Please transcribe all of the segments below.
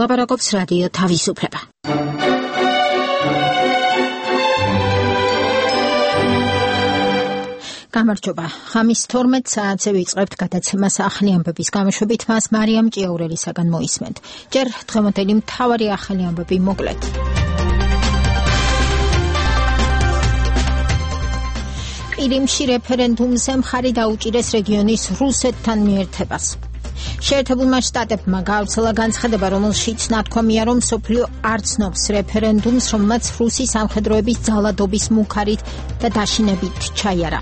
ლაპარაკობს რადიო თავისუფლება. გამარჯობა. ხამის 12 საათზე ვიწყებთ გადაცემას ახალი ამბების გამოშვებით. მას მარიამ ჭიაურელისაგან მოისმენთ. ჯერ დღევანდელი მთავარი ახალი ამბები მოკლედ. ყირიმში რეფერენდუმზე მხარი დაუჭირეს რეგიონის რუსეთთან მიერთებას. შეერთებულმა შტატებმა გაავრცელა განცხადება, რომელშიც ნათქვამია, რომ მსოფლიო არ ცნობს რეფერენდუმს, რომელმაც რუსი სამხედროების ძალადობის მუქარით და დაშინებით ჩაიარა.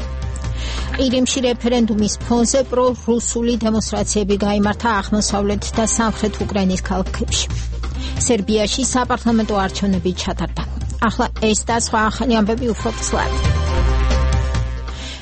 ყირიმში რეფერენდუმის ფონზე პრო-რუსული დემონსტრაციები გაიმართა აღმოსავლეთ და სამხრეთ უკრაინის ქალაქებში. სერბიაში საპარლამენტო არჩევნები ჩატარდა. ახლა ეს და სხვა ახალი ამბები უფრო ცვლად.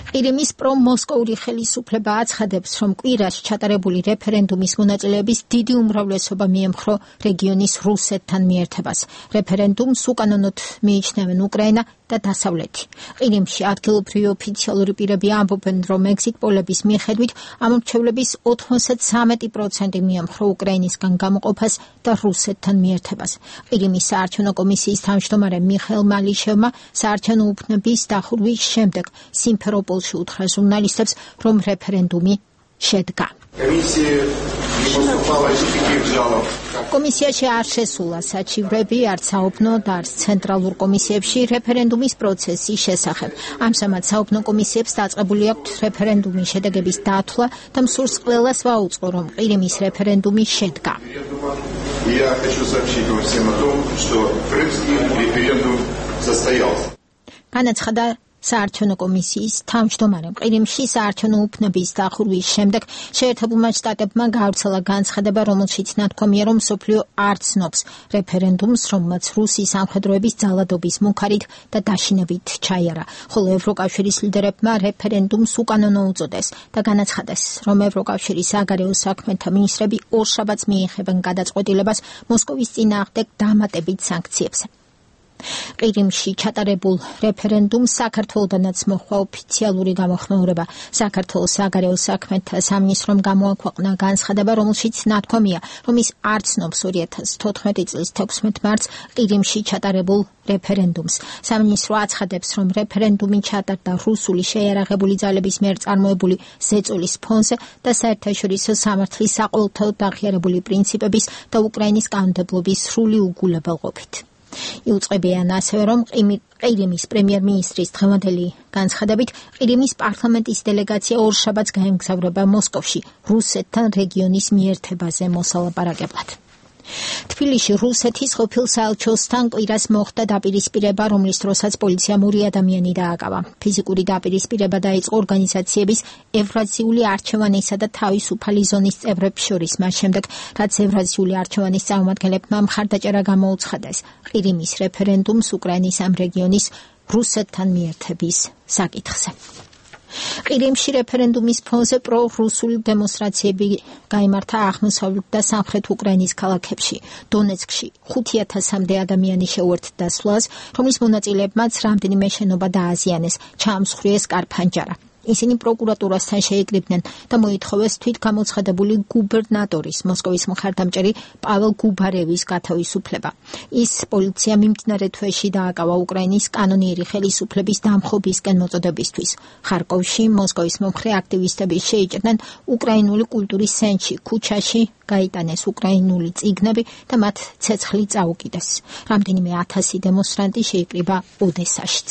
ყირიმის პრომოსკოვური ხელისუფლება აცხადებს, რომ კვირას ჩატარებული რეფერენდუმის მონაწილეების დიდი უმრავლესობა მიემხრო რეგიონის რუსეთთან მიერთებას. რეფერენდუმს უკანონოდ მიიჩნევენ უკრაინა და დასავლეთი. ყირიმში ადგილობრივი ოფიციალური პირები ამბობენ, რომ ეგზიტ პოლების მიხედვით ამ მრჩევლების 93% მიემხრო უკრაინისგან გამოყოფას და რუსეთთან მიერთებას. ყირიმის საარჩევნო კომისიის თავმჯდომარე მიხეილ მალიშევმა საარჩევნო უბნების დახურვის შემდეგ სიმფეროპოლში უთხრა ჟურნალისტებს, რომ რეფერენდუმი შედგა. კომისიაში არ შესულა საჩივრები, არც საუბნო და არც ცენტრალურ კომისიებში რეფერენდუმის პროცესის შესახებ. ამჟამად საუბნო კომისიებს დაწყებული აქვთ რეფერენდუმის შედეგების დათვლა და მსურს ყველას ვაუწყო, რომ ყირიმის რეფერენდუმი შედგა. განაცხადა საარჩევნო კომისიის თავმჯდომარემ. ყირიმში საარჩევნო უბნების დახურვის შემდეგ შეერთებულმა შტატებმა გაავრცელა განცხადება, რომელშიც ნათქვამია, რომ მსოფლიო არ ცნობს რეფერენდუმს, რომელმაც რუსი სამხედროების ძალადობის მუქარით და დაშინებით ჩაიარა. ხოლო ევროკავშირის ლიდერებმა რეფერენდუმს უკანონო უწოდეს და განაცხადეს, რომ ევროკავშირის საგარეო საქმეთა მინისტრები ორშაბათს მიიღებენ გადაწყვეტილებას მოსკოვის წინააღმდეგ დამატებით სანქციებზე. ყირიმში ჩატარებულ რეფერენდუმს საქართველოდანაც მოჰყვა ოფიციალური გამოხმაურება. საქართველოს საგარეო საქმეთა სამინისტრომ გამოაქვეყნა განცხადება, რომელშიც ნათქვამია, რომ ის არ ცნობს 2014 წლის 16 მარტს ყირიმში ჩატარებულ რეფერენდუმს. სამინისტრო აცხადებს, რომ რეფერენდუმი ჩატარდა რუსული შეიარაღებული ძალების მიერ წარმოებული ზეწოლის ფონზე და საერთაშორისო სამართლის საყოველთაოდ აღიარებული პრინციპების და უკრაინის კანონმდებლობის სრული უგულებელყოფით. იუწყებიან ასევე, რომ ყირიმის პრემიერ-მინისტრის დღევანდელი განცხადებით ყირიმის პარლამენტის დელეგაცია ორშაბათს გაემგზავრება მოსკოვში რუსეთთან რეგიონის მიერთებაზე მოსალაპარაკებლად. თბილისში რუსეთის ყოფილ საელჩოსთან კვირას მოხდა დაპირისპირება, რომლის დროსაც პოლიციამ 2 ადამიანი დააკავა. ფიზიკური დაპირისპირება დაიწყო ორგანიზაციების ევრაზიული არჩევანისა და თავისუფალი ზონის წევრებს შორის, მას შემდეგ, რაც ევრაზიული არჩევანის წარმომადგენლებმა მხარდაჭერა გამოუცხადეს ყირიმის რეფერენდუმს უკრაინის ამ რეგიონის რუსეთთან მიერთების საკითხზე. ყირიმში რეფერენდუმის ფონზე პრო-რუსული დემონსტრაციები გაიმართა აღმოსავლეთ და სამხრეთ უკრაინის ქალაქებში. დონეცკში 5000-მდე ადამიანი შეუერთდა სვლას, რომლის მონაწილეებმაც რამდენიმე შენობა დააზიანეს, ჩაამსხვრიეს კარფანჯარა. ისინი პროკურატურასთან შეიკრიბნენ და მოითხოვეს თვითგამოცხადებული გუბერნატორის მოსკოვის მხარდამჭერი პაվել გუბარევის გათავისუფლება. ის პოლიცია მიმდინარე თვეში დააკავა უკრაინის კანონიერი ხელისუფლების დამხობისკენ მოწოდებისთვის. ხარკოვში მოსკოვის მომხრე აქტივისტები შეიჭრნენ უკრაინული კულტურის ცენტრში, ქუჩაში გაიტანეს უკრაინული წიგნები და მათ ცეცხლი წაუკიდეს. რამდენიმე 1000 დემონსტრანტი შეიკრიბა ოდესაშიც.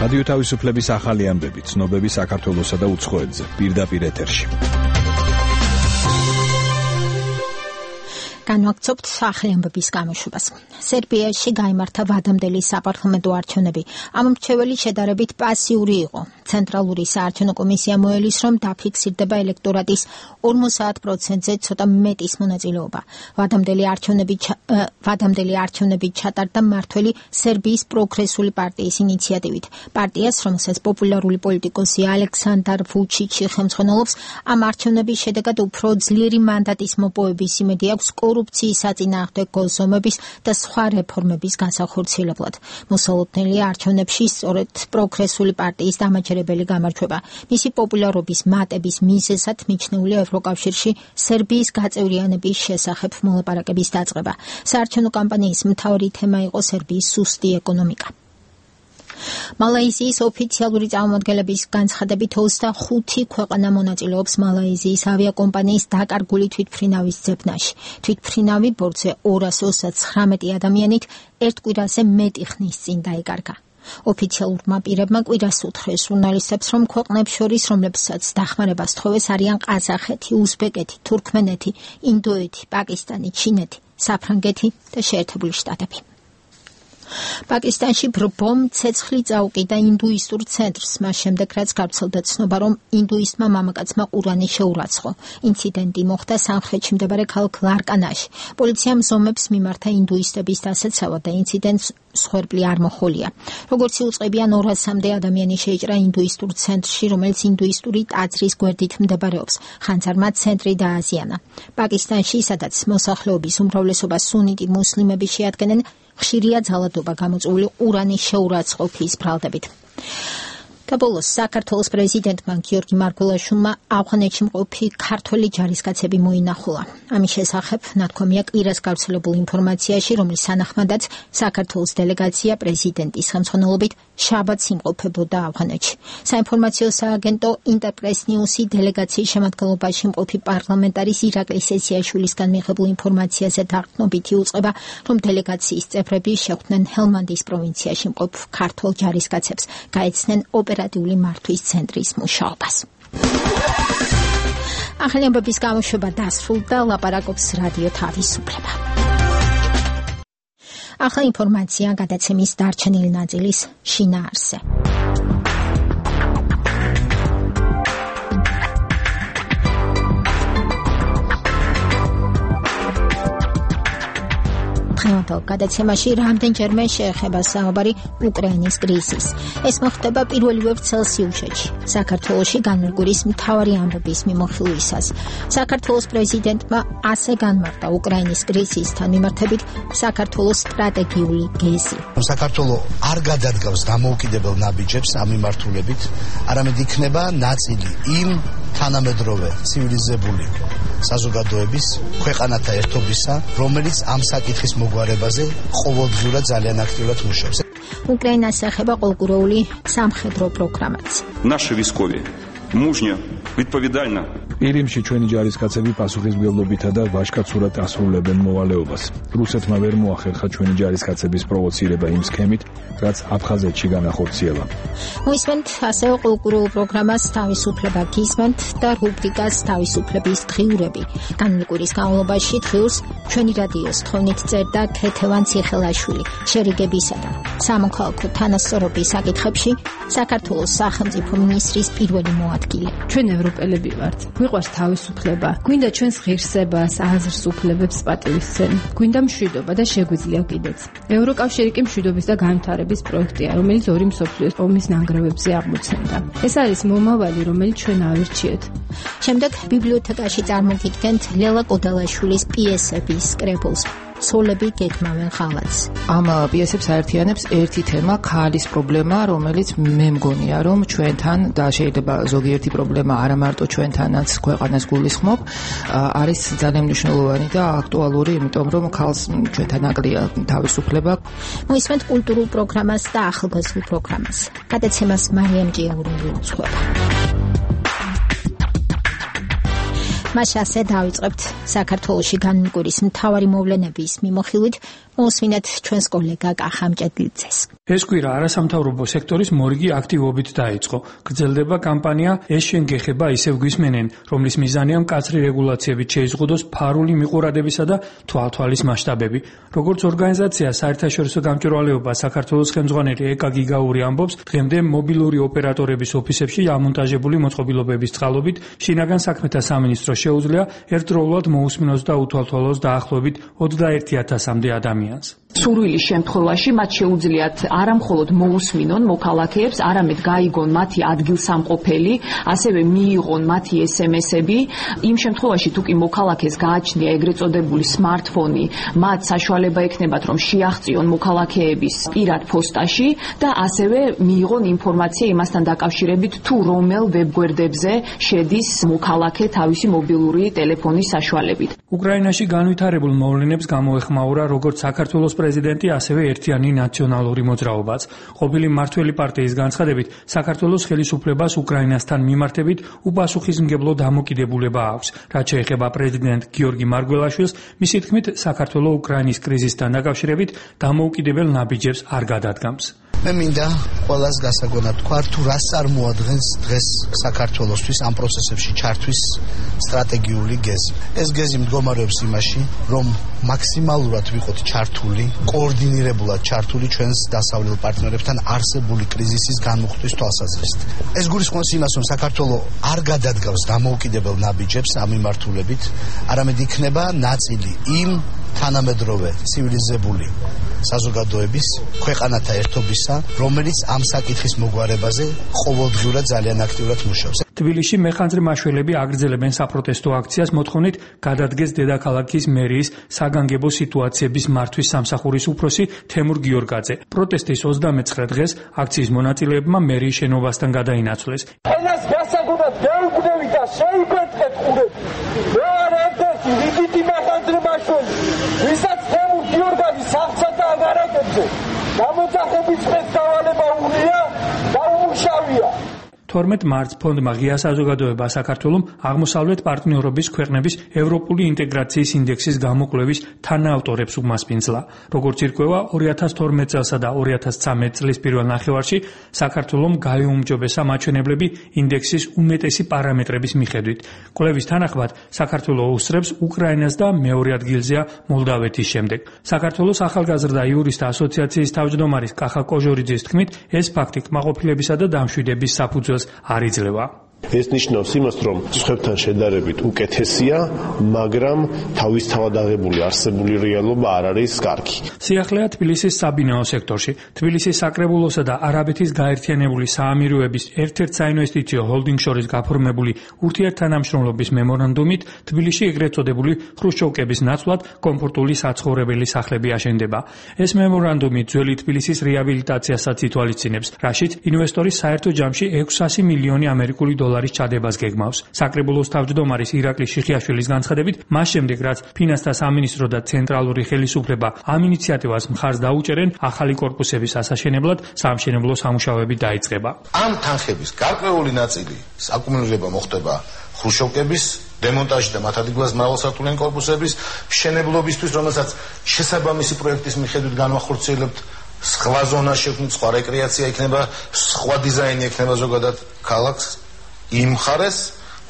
რადიო თავისუფლების ახალი ამბები, ცნობები საქართველოსა და უცხოეთზე, პირდაპირ ეთერში. განვაგრძობთ ახალი ამბების გამოშვებას. სერბიაში გაიმართა ვადამდელი საპარლამენტო არჩევნები. ამ მრჩეველი შედარებით პასიური იყო. ცენტრალური საარჩევნო კომისია მოელის, რომ დაფიქსირდება ელექტორატის 50%-ზე ცოტა მეტის მონაწილეობა. ვადამდელი არჩევნები ჩატარდა მმართველი სერბიის პროგრესული პარტიის ინიციატივით. პარტიას, რომელსაც პოპულარული პოლიტიკოსი ალექსანდარ ვუჩიჩი ხელმძღვანელობს, ამ არჩევნების შედეგად უფრო ძლიერი მანდატის მოპოვების იმედი აქვს კორუფციის საწინააღმდეგო გულზომების და სხვა რეფორმების განსახორციელებლად. მოსალოდნელია არჩევნებში სწორედ პროგრესული პარტიის დამაჯერებელი გამარჯვება. მისი პოპულარობის მატების მიზეზად მიჩნეულია ევროკავშირში სერბიის გაწევრიანების შესახებ მოლაპარაკების დაწყება. საარჩევნო კამპანიის მთავარი თემა იყო სერბიის სუსტი ეკონომიკა. მალაიზიის ოფიციალური წარმომადგენლების განცხადებით 25 ქვეყანა მონაწილეობს მალაიზიის ავიაკომპანიის დაკარგული თვითმფრინავის ძებნაში. თვითმფრინავი ბორტზე 239 ადამიანით ერთ კვირაზე მეტი ხნის წინ დაიკარგა. ოფიციალურმა პირებმა კვირას უთხრეს ჟურნალისტებს, რომ ქვეყნებს შორის, რომლებსაც დახმარებას თხოვეს, არიან ყაზახეთი, უზბეკეთი, თურქმენეთი, ინდოეთი, პაკისტანი, ჩინეთი, საფრანგეთი და შეერთებული შტატები. პაკისტანში ბრბომ ცეცხლი წაუკიდა ინდუისტურ ცენტრს, მას შემდეგ რაც გავრცელდა ცნობა, რომ ინდუისტმა მამაკაცმა ყურანი შეურაცხო. ინციდენტი მოხდა სამხრეთში მდებარე ქალაქ ლარკანაში. პოლიციამ ზომებს მიმართა ინდუისტების დასაცავად და ინციდენტს მსხვერპლი არ მოჰყოლია. როგორც იუწყებიან 200-მდე ადამიანი შეიჭრა ინდუისტურ ცენტრში, რომელიც ინდუისტური ტაძრის გვერდით მდებარეობს. ხანძარმა ცენტრი დააზიანა. პაკისტანში, სადაც მოსახლეობის უმრავლესობა სუნიტი მუსლიმები შეადგენენ, ხშირია ძალადობა გამოწვეული ყურანის შეურაცხყოფის ბრალდებით. და ბოლოს საქართველოს პრეზიდენტმა გიორგი მარგველაშვილმა ავღანეთში მყოფი ქართველი ჯარისკაცები მოინახულა. ამის შესახებ ნათქვამია კვირას გავრცელებულ ინფორმაციაში, რომლის თანახმადაც საქართველოს დელეგაცია პრეზიდენტის ხელმძღვანელობით შაბათს იმყოფებოდა ავღანეთში. საინფორმაციო სააგენტო ინტერპრეს ნიუსი დელეგაციის შემადგენლობაში მყოფი პარლამენტარის ირაკლი სესიაშვილისგან მიღებულ ინფორმაციაზე დაყრდნობით იუწყება, რომ დელეგაციის წევრები შეხვდნენ ჰელმანდის პროვინციაში მყოფ ქართველ ჯარისკაცებს, გაეცნენ ოპერატიული მართვის ცენტრის მუშაობას. ახალი ამბების გამოშვება დასრულდა, ლაპარაკობს რადიო თავისუფლება. ახლა ინფორმაცია გადაცემის დარჩენილი ნაწილის შინაარსზე. დღევანდელ გადაცემაში რამდენჯერმე შეეხება საუბარი უკრაინის კრიზისს. ეს მოხდება 1 წელსიუშეთში, საქართველოში განმეორების მთავარი ამბების მიმოხილვისას. საქართველოს პრეზიდენტმა ასე განმარტა უკრაინის კრიზისთან მიმართებით საქართველოს სტრატეგიული გეზი. საქართველო არ გადადგავს დამოუკიდებელ ნაბიჯებს ამ მიმართულებით, არამედ იქნება ნაწილი იმ თანამედროვე ცივილიზებული საზოგადოების ქვეყანათა ერთობისა, რომელიც ამ საკითხის მოგვარებაზე ყოველდღიურად ძალიან აქტიურად მუშაობს. უკრაინას ეხება ყოველკვირეული სამხედრო პროგრამაც. Наши військові мужньо, відповідально ირიმში ჩვენი ჯარისკაცები პასუხისმგებლობითა და ვაჟკაცურად ასრულებენ მოვალეობას. რუსეთმა ვერ მოახერხა ჩვენი ჯარისკაცების პროვოცირება იმ სქემით, რაც აფხაზეთში განახორციელა. მოისმენთ ასევე ყოველკვირეულ პროგრამას თავისუფლება გისმენთ და რუბრიკას თავისუფლების დღიურები. განმეორების განმავლობაში დღიურს ჩვენი რადიოს თხოვნით წერდა ქეთევან ციხელაშვილი, შერიგებისა და სამოქალაქო თანასწორობის საკითხებში საქართველოს სახელმწიფო მინისტრის პირველი მოადგილე. ჩვენ ევროპელები ვართ. გვიყვარს თავისუფლება. გვინდა ჩვენს ღირსებას, აზრს, უფლებებს პატივისცემ. გვინდა მშვიდობა და შეგვიძლია კიდეც. ევროკავშირი კი მშვიდობის და განვითარების პროექტია, რომელიც ორი მსოფლიოს ომის ნანგრევებზე აღმოცენდა. ეს არის მომავალი, რომელიც ჩვენ ავირჩიეთ. შემდეგ ბიბლიოთეკაში წარმოგიდგენთ ლელა კოდალაშვილის პიესების კრებულს. სოლები გეგმავენ ხალხს. ამ პიესებს აერთიანებს ერთი თემა, ქალის პრობლემა, რომელიც მე მგონია, რომ ჩვენთან და შეიძლება ზოგიერთი პრობლემა არა მარტო ჩვენთანაც ქვეყანას გულისხმობ, არის ძალიან მნიშვნელოვანი და აქტუალური, იმიტომ რომ ქალს ჩვენთან აკლია თავისუფლება. მოისმენთ კულტურულ პროგრამას და ახალგაზრდულ პროგრამას. გადაცემას მარიამ ჭიაურელი უძღვება. მას ასე დავიწყებთ საქართველოში განმეორების მთავარი მოვლენების მიმოხილვით, მოსმინეთ ჩვენს კოლეგა კახა მჭედლიძეს. ეს კვირა არასამთავრობო სექტორის მორიგი აქტივობით დაიწყო. გრძელდება კამპანია "ეს შენ გეხება ისევ გვისმენენ", რომლის მიზანია მკაცრი რეგულაციებით შეიზღუდოს ფარული მიყურადებისა და თვალთვალის მასშტაბები. როგორც ორგანიზაცია საერთაშორისო გამჭვირვალეობა საქართველოს ხელმძღვანელი ეკა გიგაური ამბობს, დღემდე მობილური ოპერატორების ოფისებში ამონტაჟებული მოწყობილობების წყალობით შინაგან საქმეთა სამინისტროს შეუძლია ერთდროულად მოусმინოს და უთვალთვალოს დაახლოებით 21,000-მდე ადამიანს. სურვილის შემთხვევაში მათ შეუძლიათ არა მხოლოდ მოусმინონ მოქალაქეებს, არამედ გაიგონ მათი ადგილსამყოფელი, ასევე მიიღონ მათი SMS-ები. იმ შემთხვევაში თუ კი მოქალაქეს გააჩნია ეგრეთ წოდებული smartphone, მათ საშუალება ექნებათ რომ შეაღწიონ მოქალაქეების პირად პოსტაში და ასევე მიიღონ ინფორმაცია იმასთან დაკავშირებით თუ რომელ ვებგვერდებზე შედის მოქალაქე თავისი მობილური ტელეფონის საშუალებით. უკრაინაში განვითარებულ მოვლენებს გამოეხმაურა როგორც საქართველოს პრეზიდენტი, ასევე ერთიანი ნაციონალური მოძრაობაც. ყოფილი მმართველი პარტიის განცხადებით, საქართველოს ხელისუფლებას უკრაინასთან მიმართებით უპასუხისმგებლო დამოკიდებულება აქვს. რაც შეეხება პრეზიდენტ გიორგი მარგველაშვილს, მისი თქმით, საქართველოს უკრაინის კრიზისთან დაკავშირებით დამოუკიდებელ ნაბიჯებს არ გადადგამს. მე მინდა ყველას გასაგონად თქვა, თუ რას არ მოადგენს დღეს საქართველოსთვის ამ პროცესებში ჩართვის სტრატეგიული გეზი. ეს გეზი მდგომარეობს იმაში, რომ მაქსიმალურად ვიყოთ ჩართული, კოორდინირებულად ჩართული ჩვენს დასავლელ პარტნიორებთან არსებული კრიზისის განმუხტვის თვალსაზრისით. ეს გულისხმობს იმას, რომ საქართველოს არ გადადგავს დამოუკიდებელ ნაბიჯებს ამ მიმართულებით, არამედ იქნება ნაწილი იმ თანამედროვე ცივილიზებული საზოგადოების ქვეყანათა ერთობისა, რომელიც ამ საკითხის მოგვარებაზე ყოველდღიურად ძალიან აქტიურად მუშაობს. თბილისში მეხანძრე მაშველები აგრძელებენ საპროტესტო აქციას მოთხოვნით გადადგეს დედაქალაქის მერიის საგანგებო სიტუაციების მართვის სამსახურის უფროსი თემურ გიორგაძე. პროტესტის 29 დღეს აქციის მონაწილეებმა მერიის შენობასთან გადაინაცვლეს. ენას გასაგონად დაუგდები და შეიფეთქეთ ყურები. მე არ ერთ-ერთი რიგითი მეხანძრე მაშველი, ვისაც თემურ გიორგაძე სახლსა აგარაკებზე გამოძახების ფესტივალება უნია და უმუშავია. 12 მარტს ფონდმა ღია საზოგადოება საქართველოს აღმოსავლეთ პარტნიორობის ქვეყნების ევროპული ინტეგრაციის ინდექსის გამოკვლევის თანაავტორებს უმასპინძლა. როგორც ირკვევა, 2012 წელსა და 2013 წლის პირველ ნახევარში საქართველოს გაიუმჯობესა მაჩვენებლები ინდექსის უმეტესი პარამეტრების მიხედვით. კვლევის თანახმად, საქართველოს უსწრებს უკრაინას და მეორე ადგილზეა მოლდავეთის შემდეგ. საქართველოს ახალგაზრდა იურისტთა ასოციაციის თავმჯდომარის კახა კოჟორიძის თქმით, ეს ფაქტი კმაყოფილებისა და დამშვიდების საფუძველს არ იძლევა. ეს ნიშნავს იმას, რომ სხვებთან შედარებით უკეთესია, მაგრამ თავისთავად აღებული არსებული რეალობა არ არის კარგი. სიახლეა თბილისის საბინაო სექტორში. თბილისის საკრებულოსა და არაბეთის გაერთიანებული საამიროების ერთ-ერთ საინვესტიციო ჰოლდინგ შორის გაფორმებული ურთიერთთანამშრომლობის მემორანდუმით თბილისში ეგრეთ წოდებული ხრუშჩოვკების ნაცვლად კომფორტული საცხოვრებელი სახლები აშენდება. ეს მემორანდუმი ძველი თბილისის რეაბილიტაციასაც ითვალისწინებს, რაშიც ინვესტორის საერთო ჯამში 600 მილიონი ამერიკული დოლარის ჩადებას გეგმავს. საკრებულოს თავმჯდომარის ირაკლი შიხიაშვილის განცხადებით, მას შემდეგ რაც ფინანსთა სამინისტრო და ცენტრალური ხელისუფლება ამ ინიციატივას მხარს დაუჭერენ, ახალი კორპუსების ასაშენებლად საამშენებლო სამუშაოები დაიწყება. ამ თანხების გარკვეული ნაწილი აკუმულირება მოხდება ხრუშჩოვკების დემონტაჟი და მათ ადგილას მრავალსართულიანი კორპუსების მშენებლობისთვის, რომელსაც შესაბამისი პროექტის მიხედვით განვახორციელებთ. სხვა ზონა შექმნით, სხვა რეკრეაცია იქნება, სხვა დიზაინი იქნება ზოგადად ქალაქს იმ მხარეს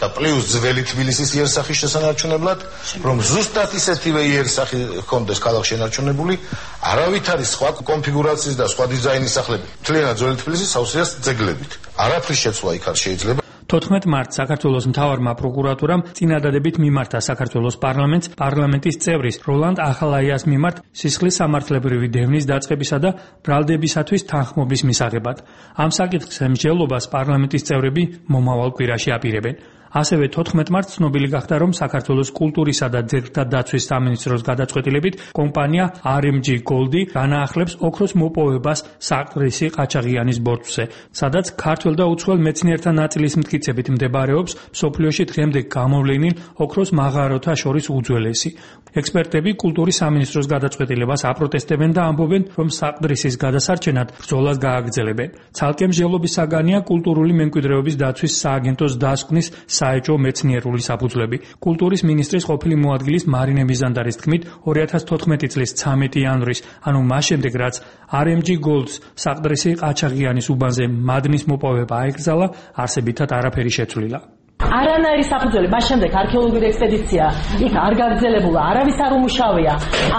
და პლუს ძველი თბილისის იერსახის შესანარჩუნებლად, რომ ზუსტად ისეთივე იერსახი ჰქონდეს ქალაქში შენარჩუნებული, არავითარი სხვა კონფიგურაციის და სხვა დიზაინის სახლები. მთლიანად ძველი თბილისის სავსეას ძეგლებით. არაფრის შეცვლა იქ არ შეიძლება. 14 მარტს საქართველოს მთავარმა პროკურატურამ წინადადებით მიმართა საქართველოს პარლამენტის წევრის როლანდ ახალაიას მიმართ სისხლის სამართლებრივი დევნის დაწყებისა და ბრალდებისათვის თანხმობის მისაღებად. ამ საკითხის მსჯელობას პარლამენტის წევრები მომავალ კვირაში აპირებენ. ასევე 14 მარტს ცნობილი გახდა, რომ საქართველოს კულტურისა და ძეგლთა დაცვის სამინისტროს გადაწყვეტილებით კომპანია RMG Gold განაახლებს ოქროს მოპოვებას საყდრისი ყაჩაღიანის ბორცვზე, სადაც ქართველ და უცხოელ მეცნიერთა ნაწილის მტკიცებით მდებარეობს მსოფლიოში დღემდე გამოვლენილ ოქროს მაღაროთა შორის უძველესი. ექსპერტები კულტურის სამინისტროს გადაწყვეტილებას აპროტესტებენ და ამბობენ, რომ საყდრისის გადასარჩენად ბრძოლას გააგრძელებენ. ცალკე მსჯელობის საგანია კულტურული მემკვიდრეობის დაცვის სააგენტოს დასკვნის საეჭვო მეცნიერული საფუძვლები. კულტურის მინისტრის ყოფილი მოადგილის მარინე მიზანდარის თქმით, 2014 წლის 13 იანვრის, ანუ მას შემდეგ, რაც RMG Gold-ს საყდრისი ყაჩაღიანის უბანზე მადნის მოპოვება აეკრძალა, არსებითად არაფერი შეცვლილა. არანაირი საფუძველი, მას შემდეგ არქეოლოგიური ექსპედიცია იქ არ გაგრძელებულა, არავის არ უმუშავია.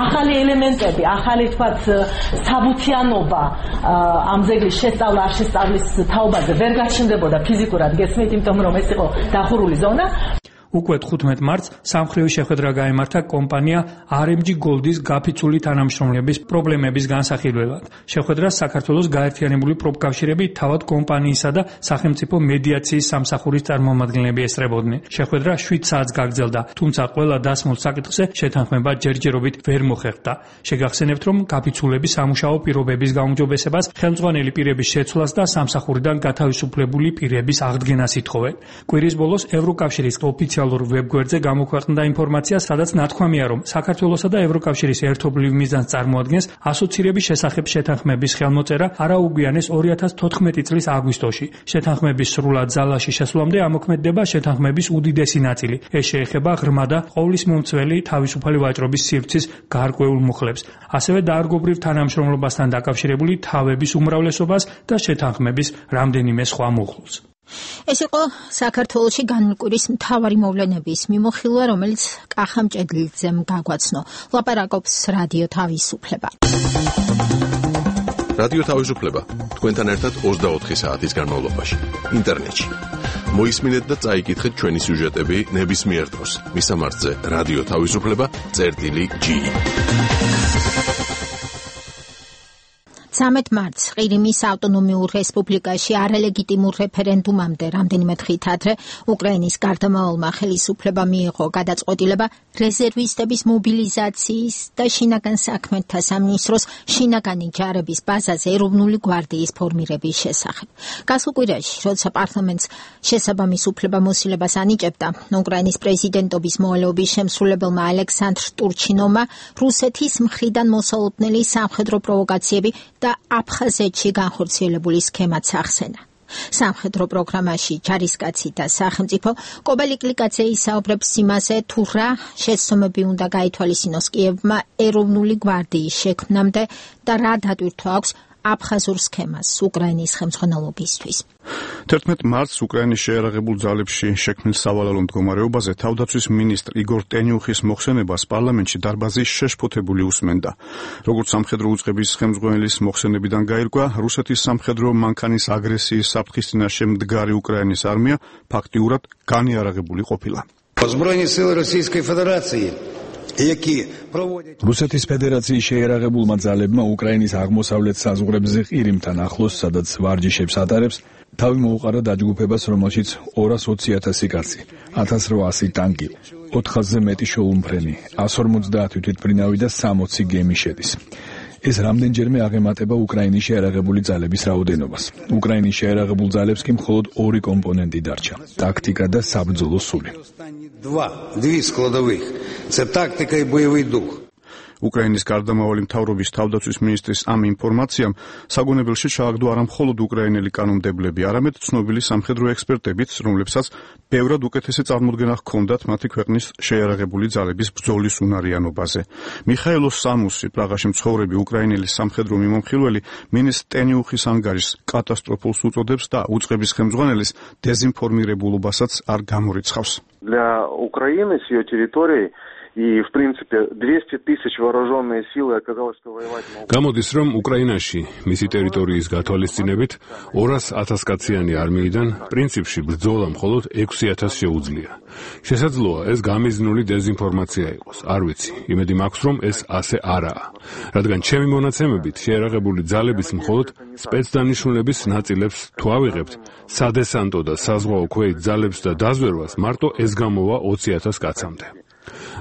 ახალი ელემენტები, ახალი თქვათ საბუთიანობა ამ ძეგლის შესწავლა არ შესწავლის თაობაზე ვერ გაჩნდებოდა ფიზიკურად, გესმით, იმიტომ რომ ეს იყო დახურული ზონა. უკვე 15 მარტს სამხრივი შეხვედრა გაიმართა კომპანია RMG Gold-ის გაფიცული თანამშრომლების პრობლემების განსახილველად. შეხვედრას საქართველოს გაერთიანებული პროფკავშირები, თავად კომპანიისა და სახელმწიფო მედიაციის სამსახურის წარმომადგენლები ესწრებოდნენ. შეხვედრა 7 საათს გაგრძელდა, თუმცა ყველა დასმულ საკითხზე შეთანხმება ჯერჯერობით ვერ მოხერხდა. შეგახსენებთ, რომ გაფიცულების სამუშაო პირობების გაუმჯობესებას, ხელმძღვანელი პირების შეცვლას და სამსახურიდან გათავისუფლებული პირების აღდგენას ითხოვენ. კვირის ბოლოს ევროკავშირის ოფიციალურ ვებგვერდზე გამოქვეყნდა ინფორმაცია, სადაც ნათქვამია, რომ საქართველოსა და ევროკავშირის ერთობლივ მიზანს წარმოადგენს ასოცირების შესახებ შეთანხმების ხელმოწერა არაუგვიანეს 2014 წლის აგვისტოში. შეთანხმების სრულად ძალაში შესვლამდე ამოქმედდება შეთანხმების უდიდესი ნაწილი. ეს შეეხება ღრმა და ყოვლისმომცველი თავისუფალი ვაჭრობის სივრცის გარკვეულ მუხლებს, ასევე დაარგობრივ თანამშრომლობასთან დაკავშირებული თავების უმრავლესობას და შეთანხმების რამდენიმე სხვა მუხლს. ეს იყო საქართველოში განმკვირის მთავარი მოვლენების მიმოხილვა, რომელიც კახა მჭედლიძემ გაგვაცნო. ლაპარაკობს რადიო თავისუფლება. რადიო თავისუფლება თქვენთან ერთად 24 საათის განმავლობაში ინტერნეტში. მოისმინეთ და წაიკითხეთ ჩვენი სიუჟეტები ნებისმიერ დროს. მისამართზე რადიო თავისუფლება.ge 13 მარტს ყირიმის ავტონომიურ რესპუბლიკაში არალეგიტიმურ რეფერენდუმამდე რამდენიმე დღით ადრე უკრაინის გარდამავალმა ხელისუფლებამ მიიღო გადაწყვეტილება რეზერვისტების მობილიზაციის და შინაგან საქმეთა სამინისტროს შინაგანი ჯარების ბაზაზე ეროვნული გვარდიის ფორმირების შესახებ. გასულ კვირაში, როცა პარლამენტს შესაბამის უფლებამოსილებას ანიჭებდა, უკრაინის პრეზიდენტობის მოვალეობის შემსრულებელმა ალექსანდრ ტურჩინოვმა რუსეთის მხრიდან მოსალოდნელი სამხედრო პროვოკაციები და აფხაზეთში განხორციელებული სქემაც ახსენა. სამხედრო პროგრამაში ჯარისკაცი და სახელმწიფო კობელი კლიკაძე ისაუბრებს იმაზე, თუ რა შეცდომები უნდა გაითვალისწინოს კიევმა ეროვნული გვარდიის შექმნამდე და რა დატვირთვა აქვს აფხაზურ სქემას უკრაინის ხელმძღვანელობისთვის. 11 მარტს უკრაინის შეიარაღებულ ძალებში შექმნილ სავალალო მდგომარეობაზე თავდაცვის მინისტრ იგორ ტენიუხის მოხსენებას პარლამენტში დარბაზის შეშფოთებული უსმენდა. როგორც სამხედრო უწყების ხელმძღვანელის მოხსენებიდან გაირკვა, რუსეთის სამხედრო მანქანის აგრესიის საფრთხის წინაშე მდგარი უკრაინის არმია ფაქტიურად განიარაღებული ყოფილა. Збройні сили Російської Федерації, які რუსეთის ფედერაციის შეიარაღებულმა ძალებმა უკრაინის აღმოსავლეთ საზღვრებზე ყირიმთან ახლოს, სადაც ვარჯიშებს ატარებს, თავი მოუყარა დაჯგუფებას, რომელშიც 220,000 კაცი, 1800 ტანკი, 400-ზე მეტი შოუმფრენი, 150 თვითმფრინავი და 60 გემი შედის. ეს რამდენჯერმე აღემატება უკრაინის შეიარაღებული ძალების რაოდენობას. უკრაინის შეიარაღებულ ძალებს კი მხოლოდ 2 კომპონენტი დარჩა: ტაქტიკა და საბრძოლო სული. Дві складових. Це тактика і бойовий дух. უკრაინის გარდამავალი მთავრობის თავდაცვის მინისტრის ამ ინფორმაციამ საგონებელში ჩააგდო არა მხოლოდ უკრაინელი კანონმდებლები, არამედ ცნობილი სამხედრო ექსპერტებიც, რომლებსაც ბევრად უკეთესი წარმოდგენა ჰქონდათ მათი ქვეყნის შეიარაღებული ძალების ბრძოლის უნარიანობაზე. მიხაილო სამუსი, პრაღაში მცხოვრები უკრაინელი სამხედრო მიმომხილველი, მინისტრ ტენიუხის ანგარიშს კატასტროფულს უწოდებს და უწყების ხელმძღვანელის დეზინფორმირებულობასაც არ გამორიცხავს. Для Украины с ее территорией и, в принципе, 200 тысяч вооруженные силы оказалось, что воевать могут. გამოდის, რომ უკრაინაში მისი ტერიტორიის გათვალისწინებით 200,000 კაციანი არმიიდან პრინციპში ბრძოლა მხოლოდ 6,000 შეუძლია. შესაძლოა ეს გამიზნული დეზინფორმაცია იყოს, არ ვიცი. იმედი მაქვს, რომ ეს ასე არაა. რადგან ჩემი მონაცემებით შეიარაღებული ძალების მხოლოდ სპეცდანიშნულების ნაწილებს თუ ავიღებთ, სადესანტო და საზღვაო ქვეით ძალებს და დაზვერვას მარტო ეს გამოვა 20,000 კაცამდე.